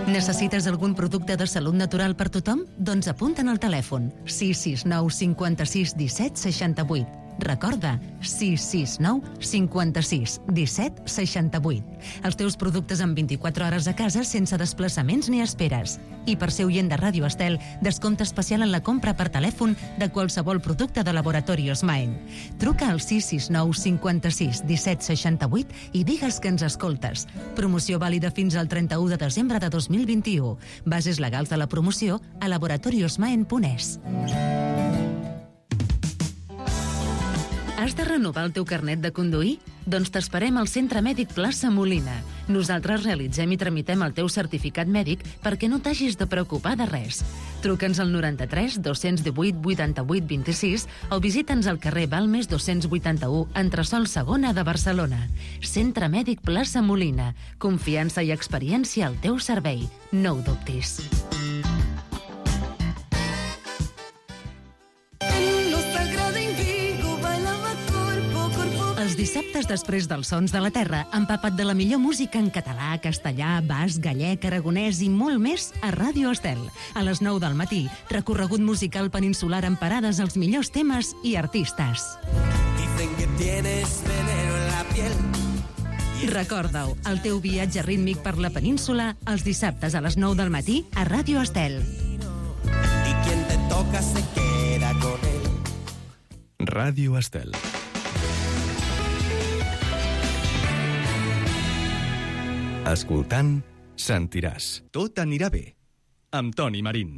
Necessites algun producte de salut natural per tothom? Doncs apunta'n al telèfon 669 56 17 68. Recorda, 669 56 17 68. Els teus productes en 24 hores a casa sense desplaçaments ni esperes. I per ser oient de Ràdio Estel, descompte especial en la compra per telèfon de qualsevol producte de Laboratorios Maen. Truca al 669 56 17 68 i digues que ens escoltes. Promoció vàlida fins al 31 de desembre de 2021. Bases legals de la promoció a laboratoriosmaen.es. Has de renovar el teu carnet de conduir? Doncs t'esperem al Centre Mèdic Plaça Molina. Nosaltres realitzem i tramitem el teu certificat mèdic perquè no t'hagis de preocupar de res. Truca'ns al 93 218 88 26 o visita'ns al carrer Balmes 281, entresòl segona de Barcelona. Centre Mèdic Plaça Molina. Confiança i experiència al teu servei. No ho dubtis. Els dissabtes després dels Sons de la Terra, empapat de la millor música en català, castellà, basc, gallec, aragonès i molt més a Ràdio Estel. A les 9 del matí, recorregut musical peninsular amb parades als millors temes i artistes. Dicen que tienes veneno en la piel Recorda-ho, el teu viatge rítmic per la península els dissabtes a les 9 del matí a Ràdio Estel. Y quien te toca se queda con él. Ràdio Estel. Escoltant, sentiràs. Tot anirà bé. Amb Toni Marín.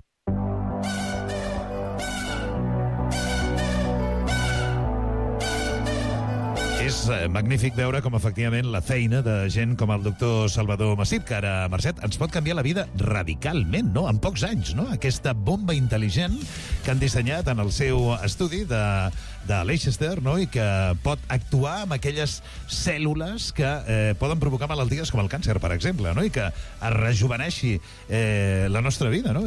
És magnífic veure com, efectivament, la feina de gent com el doctor Salvador Massip, que ara, Mercet, ens pot canviar la vida radicalment, no?, en pocs anys, no?, aquesta bomba intel·ligent que han dissenyat en el seu estudi de Leicester, no?, i que pot actuar amb aquelles cèl·lules que poden provocar malalties com el càncer, per exemple, no?, i que es rejuveneixi la nostra vida, no?,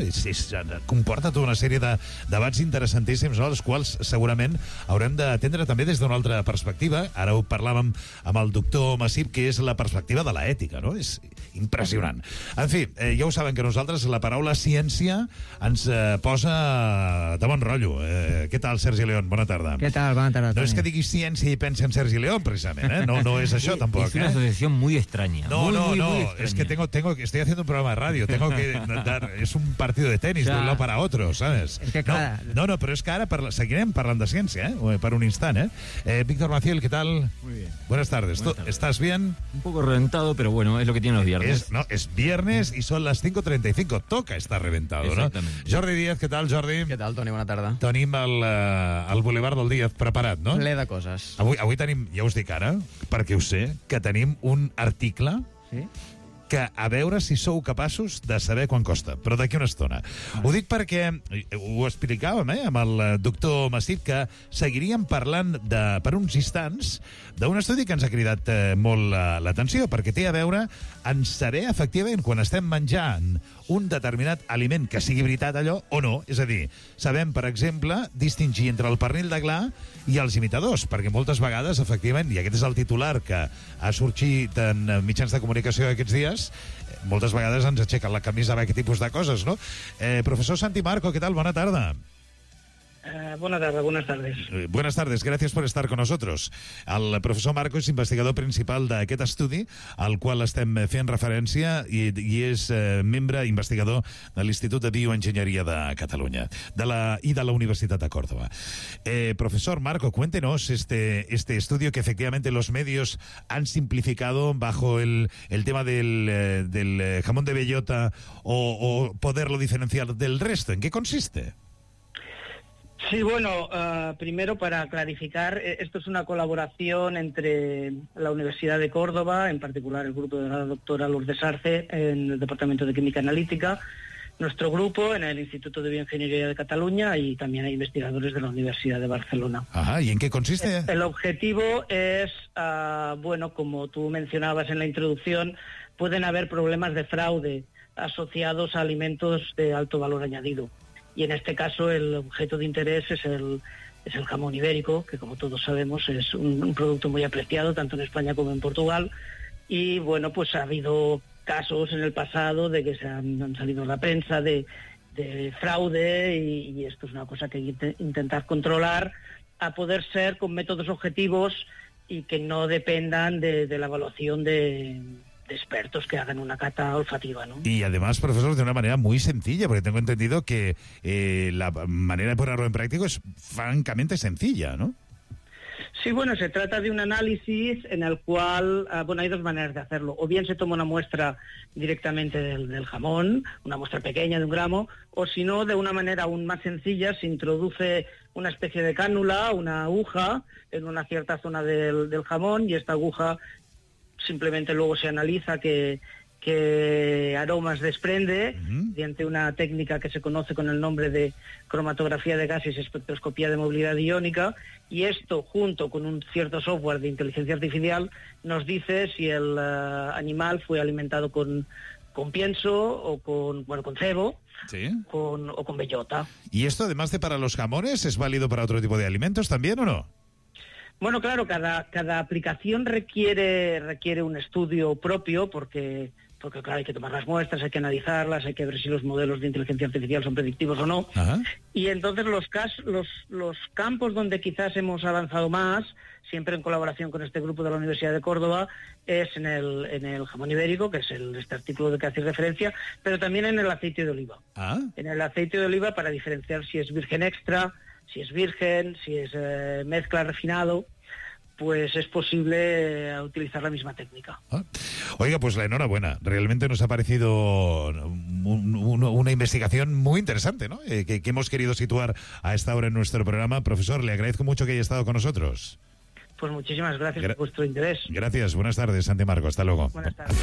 comporta tota una sèrie de debats interessantíssims, no?, els quals segurament haurem d'atendre també des d'una altra perspectiva. Ara ho parlàvem amb el doctor Massip, que és la perspectiva de l'ètica, no? És impressionant. En fi, ja ho saben que nosaltres la paraula ciència ens posa de bon rotllo. Què tal, Sergi León? Bona tarda. ¿Qué tal? Buenas tardes, No és que digui ciència i pensi en Sergi León, precisament, ¿eh? No es això, tampoc. Es una asociación muy extraña. No, muy extraña. Es que estoy haciendo un programa de radio, tengo que dar, es un partido de tenis, de un lado para otro, ¿sabes? Es que claro. No, però és que ara seguirem parlant de ciència, per un instant, Víctor Maciel, ¿qué tal? Muy bien. Buenas tardes. ¿Estás bien? Un poco reventado, pero bueno, es lo que tienen los viernes. Es viernes y son las 5:35. Toca estar reventado, no? Jordi Díaz, què tal, Jordi? Què tal, Toni? Bona tarda. Tenim el Boulevard del Díaz preparat, no? Ple de coses. Avui tenim, ja us dic ara, perquè ho sé, que tenim un article que a veure si sou capaços de saber quan costa, però d'aquí una estona. Ho dic perquè ho explicàvem amb el doctor Massip, que seguiríem parlant per uns instants d'un estudi que ens ha cridat molt l'atenció, perquè té a veure en saber efectivament quan estem menjant un determinat aliment que sigui veritat allò o no. És a dir, sabem, per exemple, distingir entre el pernil de gla i els imitadors, perquè moltes vegades, efectivament, i aquest és el titular que ha sorgit en mitjans de comunicació aquests dies, moltes vegades ens aixequen la camisa amb aquest tipus de coses, no? Profesor Santi Marco, ¿qué tal? Bona tarda. Buenas tardes. Buenas tardes, gracias por estar con nosotros. El professor Marco és investigador principal d'aquest estudi al qual estem fent referència i és membre investigador de l'Institut de Bioenginyeria de Catalunya i de la Universitat de Córdoba. Profesor Marco, cuéntenos este estudio que efectivamente los medios han simplificado bajo el tema del jamón de bellota o poderlo diferenciar del resto. ¿En qué consiste? Sí, bueno, primero para clarificar, esto es una colaboración entre la Universidad de Córdoba, en particular el grupo de la doctora Lourdes Arce en el Departamento de Química Analítica, nuestro grupo en el Instituto de Bioingeniería de Cataluña y también hay investigadores de la Universidad de Barcelona. Ajá, ¿y en qué consiste? El objetivo es, bueno, como tú mencionabas en la introducción, pueden haber problemas de fraude asociados a alimentos de alto valor añadido. Y en este caso el objeto de interés es el jamón ibérico, que como todos sabemos es un producto muy apreciado tanto en España como en Portugal. Y bueno, pues ha habido casos en el pasado de que se han salido en la prensa de fraude y esto es una cosa que hay que intentar controlar a poder ser con métodos objetivos y que no dependan de la evaluación de expertos que hagan una cata olfativa, ¿no? Y además, profesor, de una manera muy sencilla, porque tengo entendido que la manera de ponerlo en práctica es francamente sencilla, ¿no? Sí, bueno, se trata de un análisis en el cual, bueno, hay dos maneras de hacerlo. O bien se toma una muestra directamente del jamón, una muestra pequeña de 1 gramo, o si no, de una manera aún más sencilla, se introduce una especie de cánula, una aguja, en una cierta zona del jamón, y esta aguja simplemente luego se analiza qué aromas desprende mediante una técnica que se conoce con el nombre de cromatografía de gases y espectroscopía de movilidad iónica, y esto junto con un cierto software de inteligencia artificial nos dice si el animal fue alimentado con pienso o con cebo, ¿sí? o con bellota. ¿Y esto, además de para los jamones, es válido para otro tipo de alimentos también o no? Bueno, claro, cada aplicación requiere un estudio propio porque porque claro, hay que tomar las muestras, hay que analizarlas, hay que ver si los modelos de inteligencia artificial son predictivos o no. Y entonces los campos donde quizás hemos avanzado más, siempre en colaboración con este grupo de la Universidad de Córdoba, es en el jamón ibérico, que es este artículo de que hacéis referencia, pero también en el aceite de oliva. En el aceite de oliva, para diferenciar si es virgen extra, si es virgen, si es mezcla refinado, pues es posible utilizar la misma técnica. Oiga, pues la enhorabuena. Realmente nos ha parecido una investigación muy interesante, ¿no? Que hemos querido situar a esta hora en nuestro programa. Profesor, le agradezco mucho que haya estado con nosotros. Pues muchísimas gracias por vuestro interés. Gracias. Buenas tardes, Santi Marco. Hasta luego. Buenas tardes.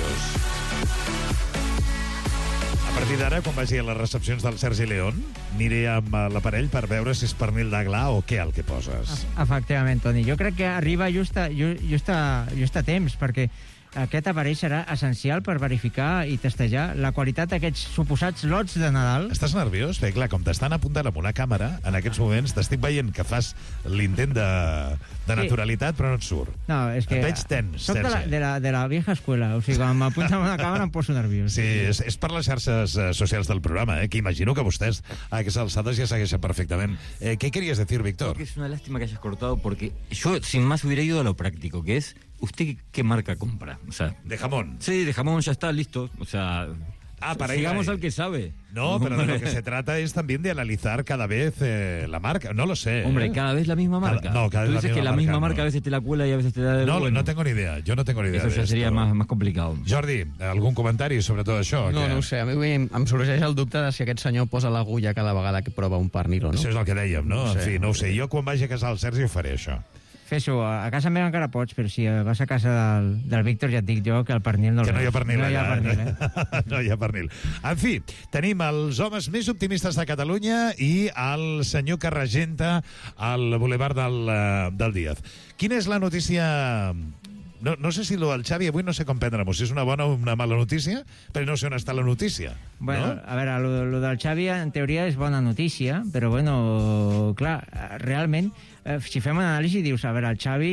A partir d'ara, quan vagi a les recepcions del Sergi León, aniré amb l'aparell per veure si és pernil de gla o què el que poses. Efectivament, Toni. Jo crec que arriba just a temps, perquè aquest aparell serà essencial per verificar i testejar la qualitat d'aquests suposats lots de Nadal. Estàs nerviós? Bé, clar, com t'estan apuntant amb una càmera, en aquests moments t'estic veient que fas l'intent de naturalitat, però no et surt. No, és que... Et veig tens. Soc de la vieja escuela, o sigui, quan m'apunten amb una càmera em poso nerviós. Sí, és per les xarxes socials del programa, que imagino que vostès a aquestes alçades ja segueixen perfectament. ¿Qué querías decir, Víctor? Creo que es una lástima que hayas cortado, porque yo sin más hubiera ido a lo práctico, que es, ¿usted qué marca compra? O sea, ¿de jamón? Sí, de jamón, ya está, listo. O sea, para sigamos ir ahí. al que sabe. No, pero de lo que se trata es también de analizar cada vez la marca. No lo sé. Hombre, cada vez la misma marca. Cada Tú vez dices que la misma marca a veces te la cuela y a veces te da... No tengo ni idea. Jo no tengo ni idea. Eso ya sería más complicado. Jordi, algun comentari sobre tot això? No ho sé. A mi em sorgeix el dubte de si aquest senyor posa l'agulla cada vegada que prova un pernil o no. Això és el que dèiem, no? En fi, no ho sé. Jo quan vagi a casa del Sergi ho faré, això. Fes-ho, a casa meva encara pots, però si vas a casa del Víctor ja et dic jo que el pernil no el veus. Que no hi ha pernil allà. No hi ha pernil. En fi, tenim els homes més optimistes de Catalunya i el senyor que regenta el Boulevard del Díaz. Quina és la notícia... No sé si lo del Xavi avui no sé com prendre-m'ho, si és una bona o una mala notícia, però no sé on està la notícia. Bueno, no? A veure, lo del Xavi en teoria és bona notícia, però bueno, clar, realment, si fem una anàlisi dius, a veure, el Xavi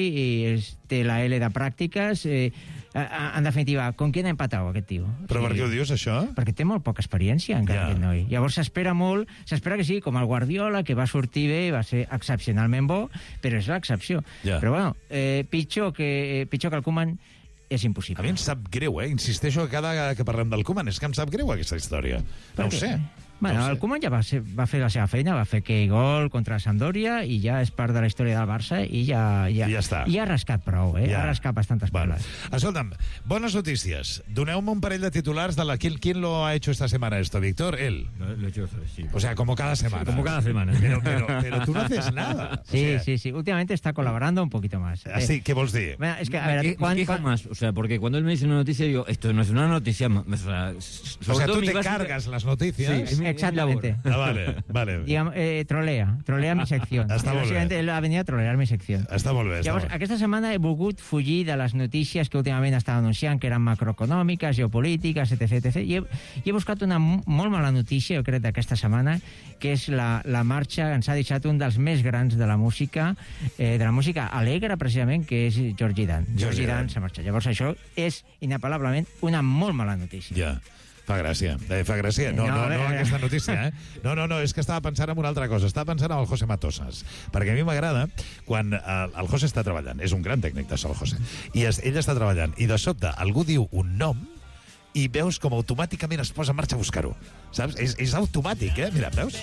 té la L de pràctiques, en definitiva, con qui ha empatat aquest tio? Però per què ho dius, això? Perquè té molt poca experiència, encara, aquest noi. Llavors s'espera molt, s'espera que sigui com el Guardiola, que va sortir bé, va ser excepcionalment bo, però és l'excepció. Però bueno, pitjor que el Koeman és impossible. A mi em sap greu, insisteixo que cada vegada que parlem del Koeman és que em sap greu aquesta història. No ho sé. Bueno, el Koeman ja va fer la seva feina, va fer aquell gol contra Sampdoria i ja és part de la història del Barça i ja està. I ha rascat prou, ha rascat bastantes peles. Escolta'm, bones notícies. Doneu-me un parell de titulars de la... ¿Quién lo ha hecho esta semana esto, Víctor? Él. Lo he hecho, sí. O sea, como cada semana. Sí, como cada semana. Pero tú no haces nada. Sí. Últimamente está colaborando un poquito más. Así, ¿qué vos di? Bueno, es que, a ver, ¿Qué más? O sea, porque cuando él me dice una noticia, digo, esto no es una noticia... O sea, tú te cargas las noticias. Sí, exactamente. Vale. Digamos, trolea mi sección. Básicamente él ha venido a trolear mi sección. Està molt bé. Llavors, aquesta setmana he volgut fugir de les notícies que últimament estava anunciant, que eren macroeconòmiques, geopolítiques, etc. I he buscat una molt mala notícia, jo crec, d'aquesta setmana, que és la marxa, ens ha deixat un dels més grans de la música alegre, precisament, que és Georgie Dan. Georgie Dan s'ha marxat. Llavors, això és inapel·lablement una molt mala notícia. Ja. Fa gràcia. No, aquesta notícia, No, és que estava pensant en una altra cosa. Estava pensant en el José Matosas. Perquè a mi m'agrada quan el José està treballant. És un gran tècnic de so, el José. I ell està treballant. I de sobte algú diu un nom i veus com automàticament es posa en marxa a buscar-ho. Saps? És automàtic, Mira, veus?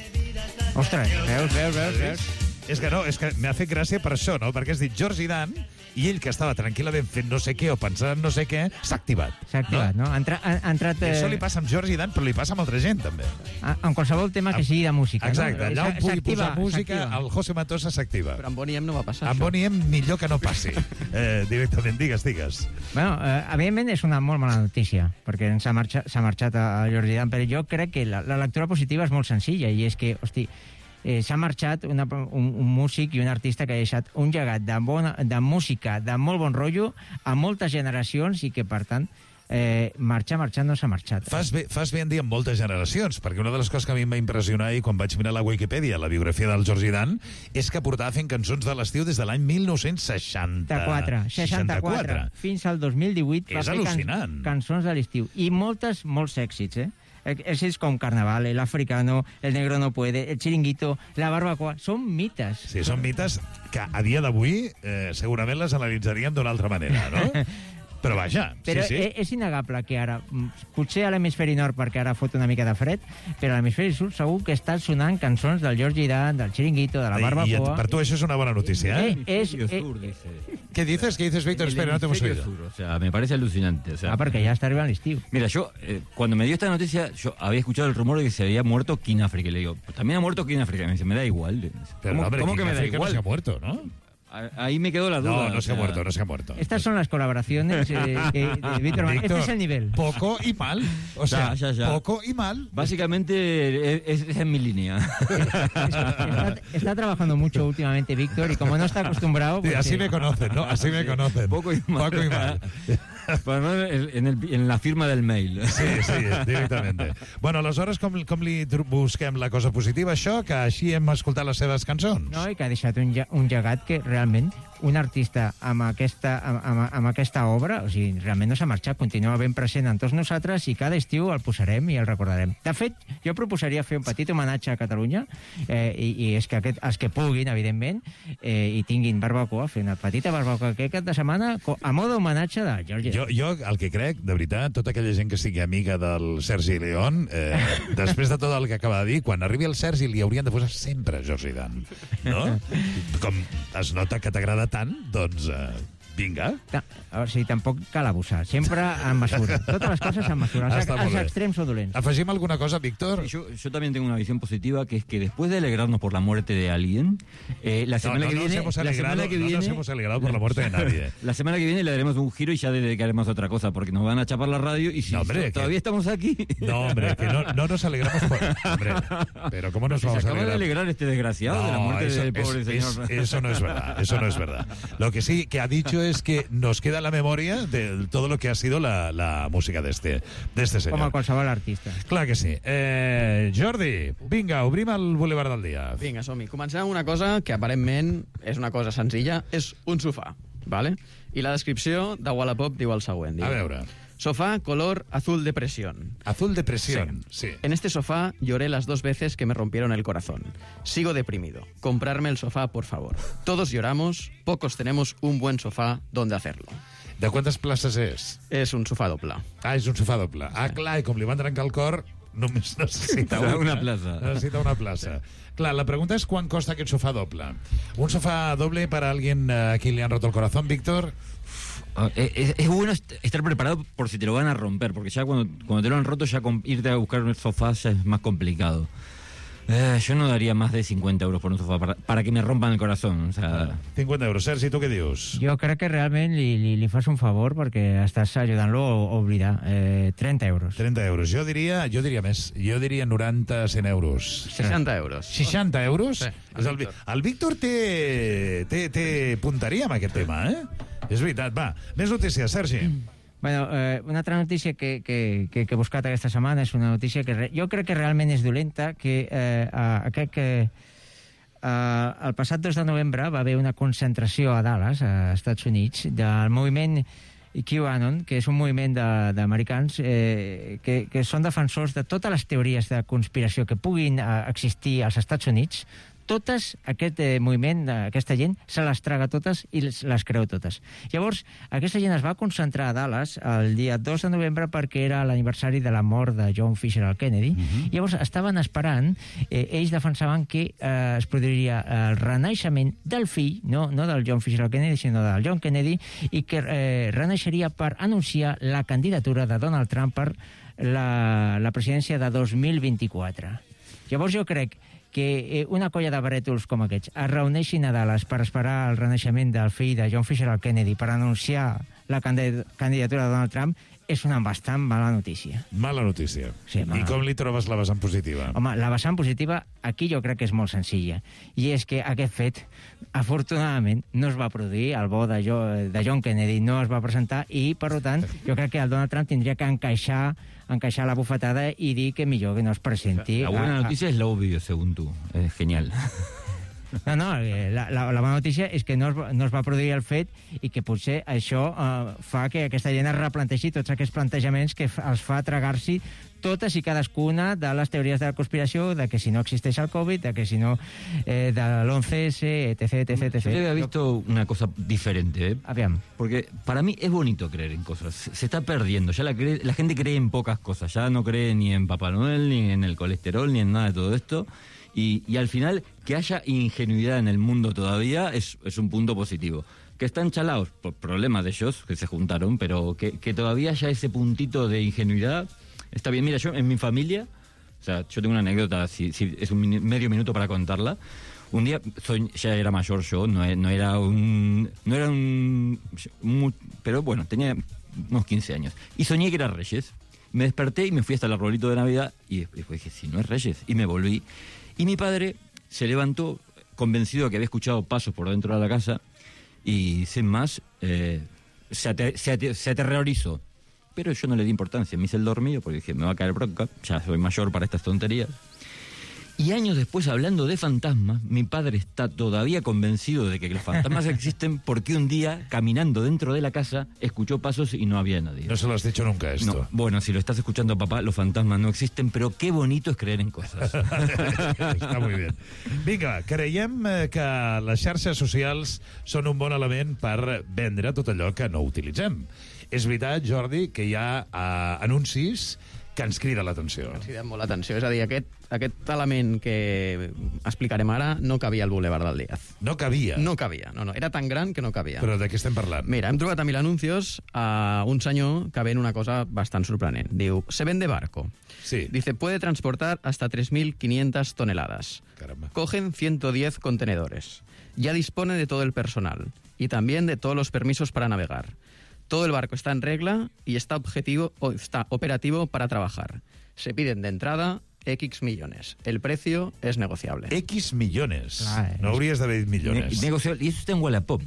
Ostres, veus? És que m'ha fet gràcia per això, no? Perquè has dit Georgie Dan i ell, que estava tranquil·lament fent no sé què o pensant en no sé què, s'ha activat. No? Ha entrat... I això li passa amb Georgie Dan, però li passa amb altra gent, també. En qualsevol tema que sigui de música. Exacte, no? allà on pugui posar música, el José Matosa s'activa. Però amb Bonnie M no va passar. Amb Bonnie M millor que no passi. Directament, digues. Bueno, evidentment és una molt mala notícia, perquè s'ha marxat a Georgie Dan, però jo crec que la lectura positiva és molt senzilla, i és que, hosti, s'ha marxat un músic i un artista que ha deixat un llegat de música de molt bon rotllo a moltes generacions i que, per tant, marxar no s'ha marxat. Fas bé en dir amb moltes generacions, perquè una de les coses que a mi em va impressionar i quan vaig mirar la Wikipedia, la biografia del Georgie Dan, és que portava fent cançons de l'estiu des de l'any 64. Fins al 2018 va fer cançons de l'estiu. I molts èxits, èxits com Carnaval, El Africano, El Negro no puede, El Chiringuito, La Barbacoa, són mites. Sí, són mites que a dia d'avui segurament les analitzaríem d'una altra manera, no? Però vaja, però sí. És innegable que ara, potser a l'hemisferi nord perquè ara fot una mica de fred, però a l'hemisferi sud segur que estan sonant cançons del Georgie Dan, del Chiringuito, de la Barbacoa. I per tu això és una bona notícia, ¿Qué dices, Víctor? Espera, no te hemos oído. O sea, me parece alucinante. O sea, porque ya está arriba el estío. Mira, yo, cuando me dio esta noticia, yo había escuchado el rumor de que se había muerto King Africa. Y le digo, pues también ha muerto King Africa. Y me dice, me da igual. Pero, ¿Cómo que me da igual? No se ha muerto, ¿no? Ahí me quedó la duda. No se ha muerto. Estas son las colaboraciones de Víctor Manuel. Este es el nivel. Poco y mal. O sea, ya. Poco y mal. Básicamente es en mi línea. Está trabajando mucho últimamente Víctor y como no está acostumbrado... Pues así me conocen, ¿no? Así me conocen. Poco y mal. En la firma del mail. Sí, directament. Bueno, aleshores, com li busquem la cosa positiva, això, que així hem escoltat les seves cançons? No, i que ha deixat un llegat que realment un artista amb aquesta obra, o sigui, realment no s'ha marxat, continua ben present en tots nosaltres i cada estiu el posarem i el recordarem. De fet, jo proposaria fer un petit homenatge a Catalunya i és que els que puguin, evidentment, i tinguin barbacoa, fer una petita barbacoa aquest cap de setmana a modo homenatge de Georgie. Jo el que crec, de veritat, tota aquella gent que sigui amiga del Sergi León, després de tot el que acaba de dir, quan arribi el Sergi li haurien de posar sempre Georgie Dan, no? Com es nota que t'agrada tant, doncs vinga. O sigui, tampoc cal abusar. Sempre en mesura. Totes les cosas en mesura. Els extrems són dolents. ¿Afegim alguna cosa, Víctor? Yo también tengo una visión positiva, que es que después de alegrarnos por la muerte de alguien, la semana que viene... No nos hemos alegrado por la muerte de nadie. La semana que viene le daremos un giro y ya dedicaremos a otra cosa, porque nos van a chapar la radio y si todavía estamos aquí... No, hombre, que no nos alegramos por... Hombre, pero ¿cómo nos vamos a alegrar? Se acaba de alegrar este desgraciado de la muerte del pobre señor. Eso no es verdad. Lo que sí que ha dicho es que nos queda la memoria de todo lo que ha sido la música de este senyor. Com a qualsevol artista. Clar que sí. Jordi, vinga, obrim el Boulevard del Dia. Vinga, som-hi. Comencem amb una cosa que aparentment és una cosa senzilla, és un sofà, ¿vale? I la descripció de Wallapop diu el següent. A veure. Sofá color azul de presión. Azul de presión, sí. En este sofá lloré las 2 veces que me rompieron el corazón. Sigo deprimido. Comprarme el sofá, por favor. Todos lloramos, pocos tenemos un buen sofá donde hacerlo. De quantes places és? És un sofà doble. Ah, és un sofà doble. Ah, clar, i com li van trencar el cor, només necessita una plaça. Necessita una plaça. Clar, la pregunta és quan costa aquest sofà doble. Un sofà doble para alguien a qui li han roto el corazón, Víctor? Es bueno estar preparado por si te lo van a romper, porque ya cuando te lo han roto, ya irte a buscar un sofá ya es más complicado. Yo no daría más de 50 euros por un sofá para que me rompan el corazón. O sea... 50 euros. Sergi, tu què dius? Jo crec que realment li fas un favor perquè estàs ajudant-lo a oblidar. 30 euros. 30 euros. Jo diria més. Jo diria 90, 100 euros. 60 euros. 60 euros? Sí, el Víctor té punteria amb aquest tema, És veritat. Va, més notícies, Sergi. Bueno, una altra notícia que he buscat aquesta setmana és una notícia que jo crec que realment és dolenta, que el passat 2 de novembre va haver una concentració a Dallas, als Estats Units, del moviment QAnon, que és un moviment d'americans que són defensors de totes les teories de conspiració que puguin existir als Estats Units. Totes, aquest moviment, aquesta gent, se les traga totes i les creu totes. Llavors, aquesta gent es va concentrar a Dallas el dia 2 de novembre perquè era l'aniversari de la mort de John Fisher al Kennedy. Llavors, estaven esperant, ells defensaven que es produiria el renaixement del fill, no del John Fisher al Kennedy, sinó del John Kennedy, i que renaixeria per anunciar la candidatura de Donald Trump per la presidència de 2024. Llavors, jo crec que una colla de brètols com aquests es reuneixin a Dallas per esperar el renaixement del fill de John Fisher al Kennedy per anunciar la candidatura de Donald Trump és una bastant mala notícia. Mala notícia. Sí, I com li trobes la vessant positiva? Home, la vessant positiva aquí jo crec que és molt senzilla. I és que aquest fet, afortunadament, no es va produir, el bo de John Kennedy no es va presentar i, per tant, jo crec que el Donald Trump tindria que encaixar la bufetada i dir que millor que no es presenti. La buena noticia es lo obvio, según tú. Es genial. No, la bona notícia és que no es va produir el fet i que potser això fa que aquesta gent es replanteixi tots aquests plantejaments que els fa tragar-s'hi totes i cadascuna de les teories de la conspiració, de que si no existeix el COVID, de que si no de l'11S, etc. Yo había visto una cosa diferente, ¿eh? Aviam. Porque para mí es bonito creer en cosas. Se está perdiendo. Ya la gente cree en pocas cosas. Ya no cree ni en Papá Noel, ni en el colesterol, ni en nada de todo esto. Y al final, que haya ingenuidad en el mundo todavía es un punto positivo. Que están chalados por problemas de ellos, que se juntaron, pero que todavía haya ese puntito de ingenuidad, está bien. Mira, yo en mi familia, o sea, yo tengo una anécdota, si es medio minuto para contarla. Un día, ya era mayor yo, pero bueno, tenía unos 15 años. Y soñé que era Reyes. Me desperté y me fui hasta el arbolito de Navidad y después dije, si no es Reyes, y me volví. Y mi padre se levantó convencido de que había escuchado pasos por dentro de la casa y sin más se aterrorizó. Pero yo no le di importancia, me hice el dormido porque dije, me va a caer bronca, ya soy mayor para estas tonterías. Y años después, hablando de fantasmas, mi padre está todavía convencido de que los fantasmas existen porque un día, caminando dentro de la casa, escuchó pasos y no había nadie. No se lo has dicho nunca, esto. No. Bueno, si lo estás escuchando, papá, los fantasmas no existen, però qué bonito és creer en coses. Està molt bé. Vinga, creiem que les xarxes socials són un bon element per vendre tot allò que no utilitzem. És veritat, Jordi, que hi ha anuncis que ens crida l'atenció. Ens crida molt l'atenció. És a dir, aquest element que explicarem ara no cabia al Boulevard del Díaz. No cabia? No cabia. No. Era tan gran que no cabia. Però de què estem parlant? Mira, hem trobat a 1000 anuncios a un senyor que ven una cosa bastant sorprenent. Diu, se vende barco. Sí. Dice, puede transportar hasta 3.500 toneladas. Caramba. Cogen 110 contenedores. Ya dispone de todo el personal y también de todos los permisos para navegar. Todo el barco está en regla y está operativo para trabajar. Se piden de entrada X millones. El precio es negociable. X millones. No hauries d'haver dit millones. Y eso está en Wallapop.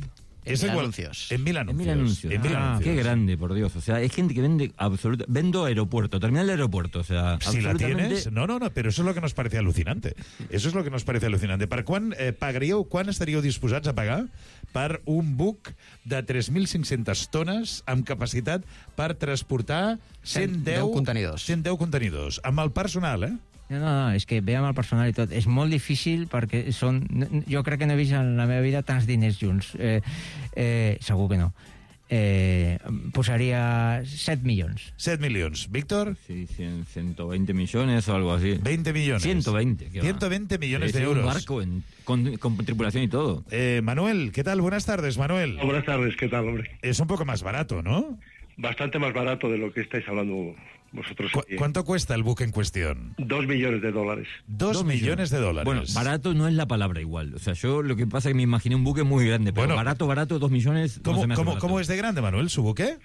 En 1000 anuncios. En 1000 anuncios. Qué grande, por Dios. O sea, hay gente que vende absolutamente... Vendo aeropuerto, terminal de aeropuerto. O sea, si la tienes... No, pero eso es lo que nos parece alucinante. Eso es lo que nos parece alucinante. Per quan quan estaríeu disposats a pagar per un buc de 3.500 tones amb capacitat per transportar 110 contenidors. 110 contenidors. Amb el personal, eh? No, és que ve amb el personal i tot. És molt difícil perquè són... Jo crec que no he vist en la meva vida tants diners junts. Segur que no. Posaria 7 milions. 7 milions. Víctor? Sí, 120 millones o algo así. 20 millones. 120. 120 millones de euros. Un barco con tripulación y todo. Manuel, ¿qué tal? Buenas tardes, Manuel. Buenas tardes, ¿qué tal, hombre? Es un poco más barato, ¿no? Bastante más barato de lo que estáis hablando vosotros. ¿Cuánto cuesta el buque en cuestión? $2 millones. $2 millones. Bueno, barato no es la palabra igual. O sea, yo lo que pasa es que me imaginé un buque muy grande, pero bueno, barato, 2 millones... ¿Cómo es de grande, Manuel, su buque?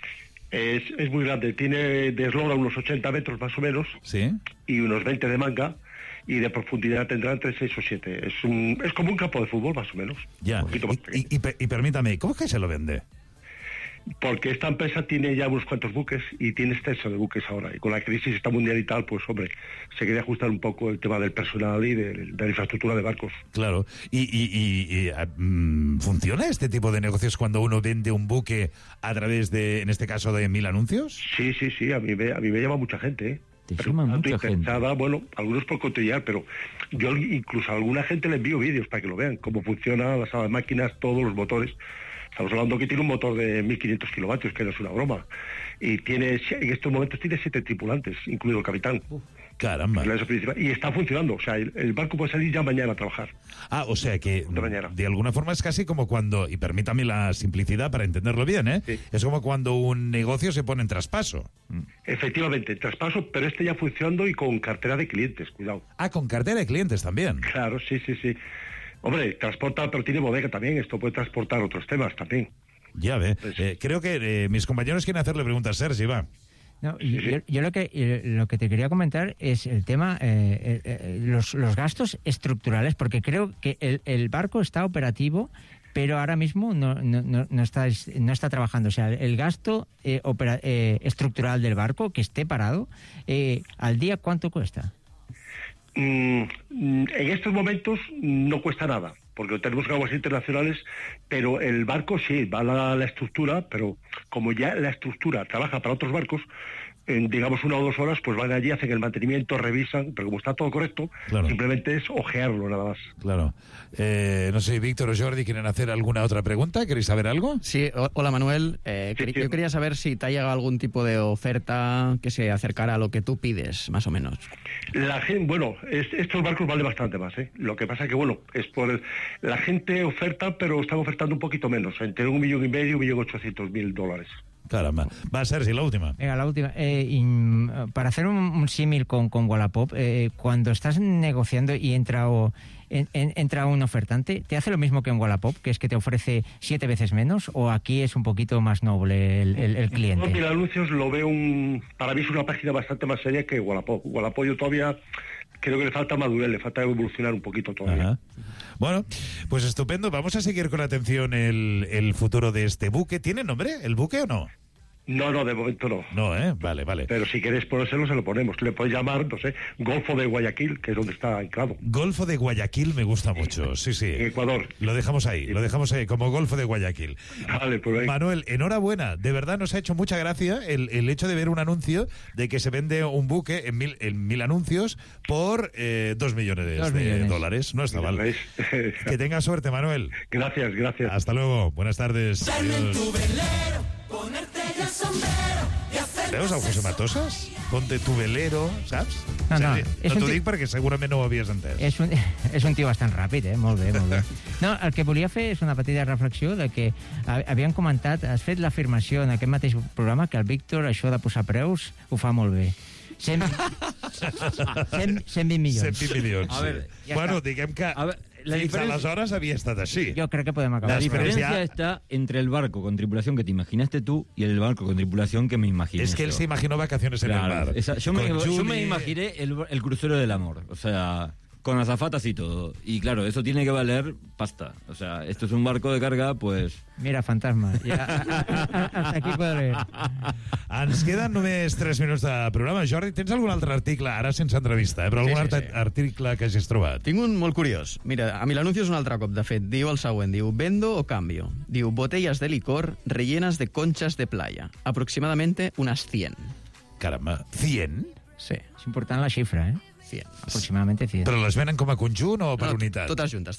Es muy grande. Tiene de eslora unos 80 metros más o menos. Sí. Y unos 20 de manga. Y de profundidad tendrá entre 6 o 7. Es como un campo de fútbol, más o menos. Ya. Y permítame, ¿cómo es que se lo vende? Porque esta empresa tiene ya unos cuantos buques y tiene exceso de buques ahora. Y con la crisis esta mundial y tal, pues hombre, se quería ajustar un poco el tema del personal y de la infraestructura de barcos. Claro. ¿Y funciona este tipo de negocios cuando uno vende un buque a través de, en este caso, de 1000 anuncios? Sí. A mí me llama mucha gente, ¿eh? Te llama mucha gente. Bueno, algunos por cotillar, pero yo incluso a alguna gente le envío vídeos para que lo vean, cómo funcionan las máquinas, todos los motores. Estamos hablando que tiene un motor de 1.500 kilovatios, que no es una broma. Y en estos momentos tiene 7 tripulantes, incluido el capitán. Caramba. Y está funcionando. O sea, el barco puede salir ya mañana a trabajar. O sea que de alguna forma es casi como cuando, y permítame la simplicidad para entenderlo bien, ¿eh? Sí. Es como cuando un negocio se pone en traspaso. Efectivamente, en traspaso, pero este ya funcionando y con cartera de clientes, cuidado. Con cartera de clientes también. Claro, sí. Hombre, transporta, pero tiene bodega también. Esto puede transportar otros temas también. Ya ve. Creo que mis compañeros quieren hacerle preguntas a Sergi, va. No, yo lo que te quería comentar es el tema, los gastos estructurales, porque creo que el barco está operativo, pero ahora mismo no está trabajando. O sea, el gasto estructural del barco, que esté parado, al día, ¿cuánto cuesta? En estos momentos no cuesta nada, porque tenemos aguas internacionales, pero el barco sí, va a la estructura, pero como ya la estructura trabaja para otros barcos, en, digamos, 1 o 2 horas, pues van allí, hacen el mantenimiento, revisan, pero como está todo correcto, claro, simplemente es ojearlo nada más. Claro. No sé, Víctor o Jordi, ¿quieren hacer alguna otra pregunta? ¿Queréis saber algo? Sí, hola Manuel. Yo quería saber si te ha llegado algún tipo de oferta que se acercara a lo que tú pides, más o menos. La gente, bueno, estos barcos valen bastante más, ¿eh? Lo que pasa que, bueno, es por la gente oferta, pero están ofertando un poquito menos, entre $1,5 millones y $1,800,000. Caramba. Va, Sergi, la última. Venga, la última. Para hacer un símil con Wallapop, cuando estás negociando y entra un ofertante, ¿te hace lo mismo que en Wallapop, que es que te ofrece 7 veces menos, o aquí es un poquito más noble el cliente? No, mira, anuncios lo veo para mí es una página bastante más seria que Wallapop. Wallapop yo todavía creo que le falta madurez, le falta evolucionar un poquito todavía. Ajá. Bueno, pues estupendo. Vamos a seguir con atención el futuro de este buque. ¿Tiene nombre el buque o no? No, de momento no. No, vale. Pero si queréis ponérselo, se lo ponemos. Le podéis llamar, no sé, Golfo de Guayaquil, que es donde está anclado. Golfo de Guayaquil me gusta mucho, sí. En Ecuador. Lo dejamos ahí, como Golfo de Guayaquil. Vale, pues venga. Manuel, enhorabuena. De verdad nos ha hecho mucha gracia el hecho de ver un anuncio de que se vende un buque en mil anuncios por $2 millones de dólares. No está mal. Que tenga suerte, Manuel. Gracias. Hasta luego. Buenas tardes. Adiós. Veus el José Matosas? Ponte tu velero, saps? No, t'ho dic perquè segurament no ho havies entès. És un tio bastant ràpid, molt bé. No, el que volia fer és una petita reflexió de que havien comentat, has fet l'afirmació en aquest mateix programa que el Víctor, això de posar preus, ho fa molt bé. 120 milions. 120 milions, a ver, sí. Bueno, diguem que fins aleshores havia estat així. Yo creo que podemos acabar. La diferencia está entre el barco con tripulación que te imaginaste tú y el barco con tripulación que me imaginé. Es que él se imaginó vacaciones en el mar. Yo me imaginé el crucero del amor. O sea, con azafatas y todo. Y claro, eso tiene que valer pasta. O sea, esto es un barco de carga, pues... Mira, fantasma. Hasta aquí puedo leer. Ens queden només 3 minuts de programa. Jordi, tens algun altre article, ara sense entrevista, però algun altre article que hagis trobat? Tinc un molt curiós. Mira, a mi l'anuncio és un altre cop, de fet. Diu el següent, diu, ¿vendo o cambio? Diu, botellas de licor rellenas de conchas de playa. Aproximadamente unas 100. Caramba, 100? Sí. És important la xifra, 100. Aproximadamente 100. Però les venen com a conjunt o per unitat? Totes juntes.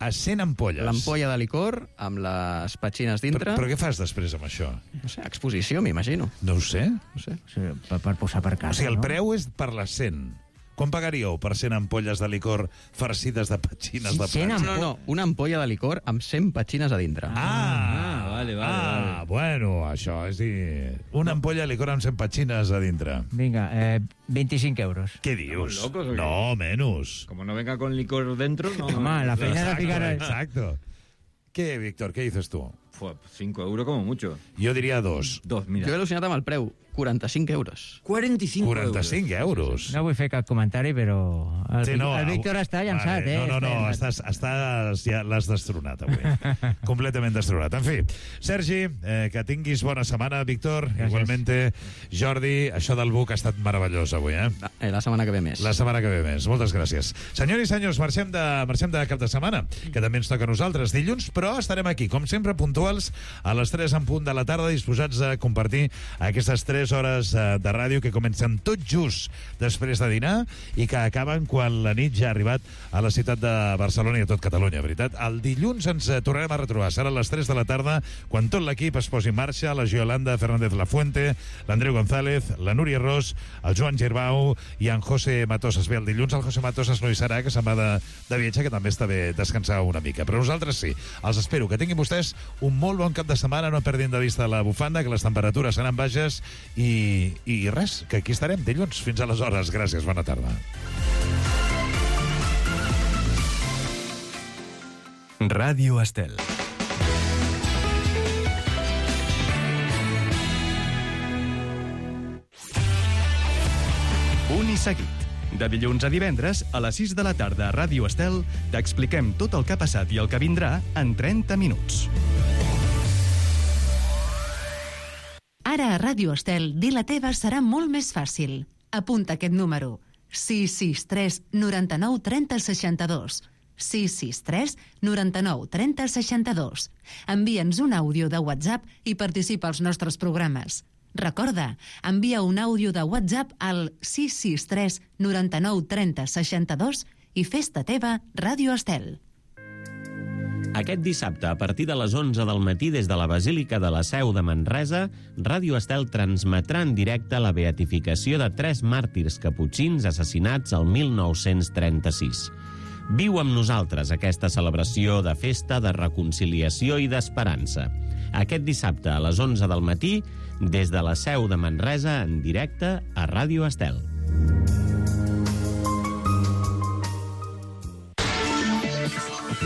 A 100 ampolles. L'ampolla de licor amb les petxines dintre. Però què fas després amb això? No sé, exposició, m'imagino. No ho sé. Per posar per casa, o sigui, el preu és per les 100. Quan pagaríeu per 100 ampolles de licor farcides de petxines de plata? No, una ampolla de licor amb 100 petxines a dintre. Vale. Bueno, això, és dir, una ampolla de licor amb 100 petxines a dintre. Vinga, 25 euros. Què dius? ¿Locos o qué? No, menos. Como no venga con licor dentro, no... Home, la feina de ficar... Exacto. ¿Qué, Víctor, qué dices tú? 5 euros como mucho. Jo diria 2. 2, mira. Jo he al·lucinat amb el preu. 45 euros. 45 euros. No vull fer cap comentari, però el Víctor està llançat, No, ja l'has destronat avui. Completament destronat. En fi, Sergi, que tinguis bona setmana, Víctor. Gràcies. Igualmente, Jordi, això del buc ha estat meravellós avui, La setmana que ve més. La setmana que ve més. Moltes gràcies. Senyors i senyors, marxem de cap de setmana, que també ens toca a nosaltres dilluns, però estarem aquí, com sempre, puntuals, a les 3 en punt de la tarda, disposats a compartir aquestes 3 hores de ràdio que comencen tot just després de dinar i que acaben quan la nit ja ha arribat a la ciutat de Barcelona i a tot Catalunya, veritat. El dilluns ens tornarem a retrobar. Serà a les 3 de la tarda, quan tot l'equip es posi en marxa, la Yolanda Fernández Lafuente, l'Andreu González, la Núria Ros, el Joan Girbau i en José Matosas. Bé, el dilluns el José Matosas no hi serà, que se'n va de viatge, que també està bé descansar una mica. Però nosaltres sí. Els espero. Que tinguin vostès un molt bon cap de setmana, no perdin de vista la bufanda, que les temperatures seran baixes i res, que aquí estarem dilluns. Fins aleshores. Gràcies, bona tarda. Ràdio Estel. Punt i seguit. De dilluns a divendres, a les 6 de la tarda a Ràdio Estel, t'expliquem tot el que ha passat i el que vindrà en 30 minuts. Ara a Ràdio Estel, dir la teva serà molt més fàcil. Apunta aquest número. 663 99 30 62. 663 99 30 62. Envia'ns un àudio de WhatsApp i participa als nostres programes. Recorda, envia un àudio de WhatsApp al 663 99 30 62 i fes-te teva Ràdio Estel. Aquest dissabte, a partir de les 11 del matí, des de la Basílica de la Seu de Manresa, Ràdio Estel transmetrà en directe la beatificació de 3 màrtirs caputxins assassinats el 1936. Viu amb nosaltres aquesta celebració de festa, de reconciliació i d'esperança. Aquest dissabte, a les 11 del matí, des de la Seu de Manresa, en directe a Ràdio Estel.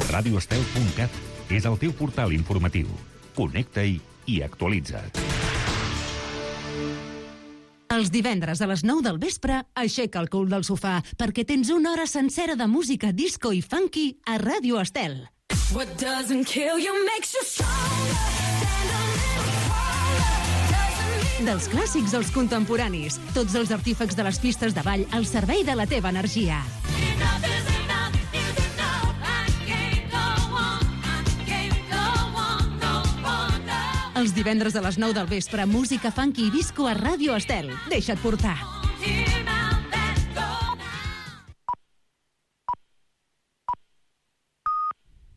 radioestel.cat és el teu portal informatiu. Connecta-hi i actualitza't. Els divendres a les 9 del vespre, aixeca el cul del sofà, perquè tens una hora sencera de música disco i funky a Ràdio Estel. What doesn't kill you makes you stronger. Dels clàssics als contemporanis, tots els artífecs de les pistes de ball al servei de la teva energia. Els divendres a les 9 del vespre, música funky i disco a Ràdio Estel. Deixa't portar.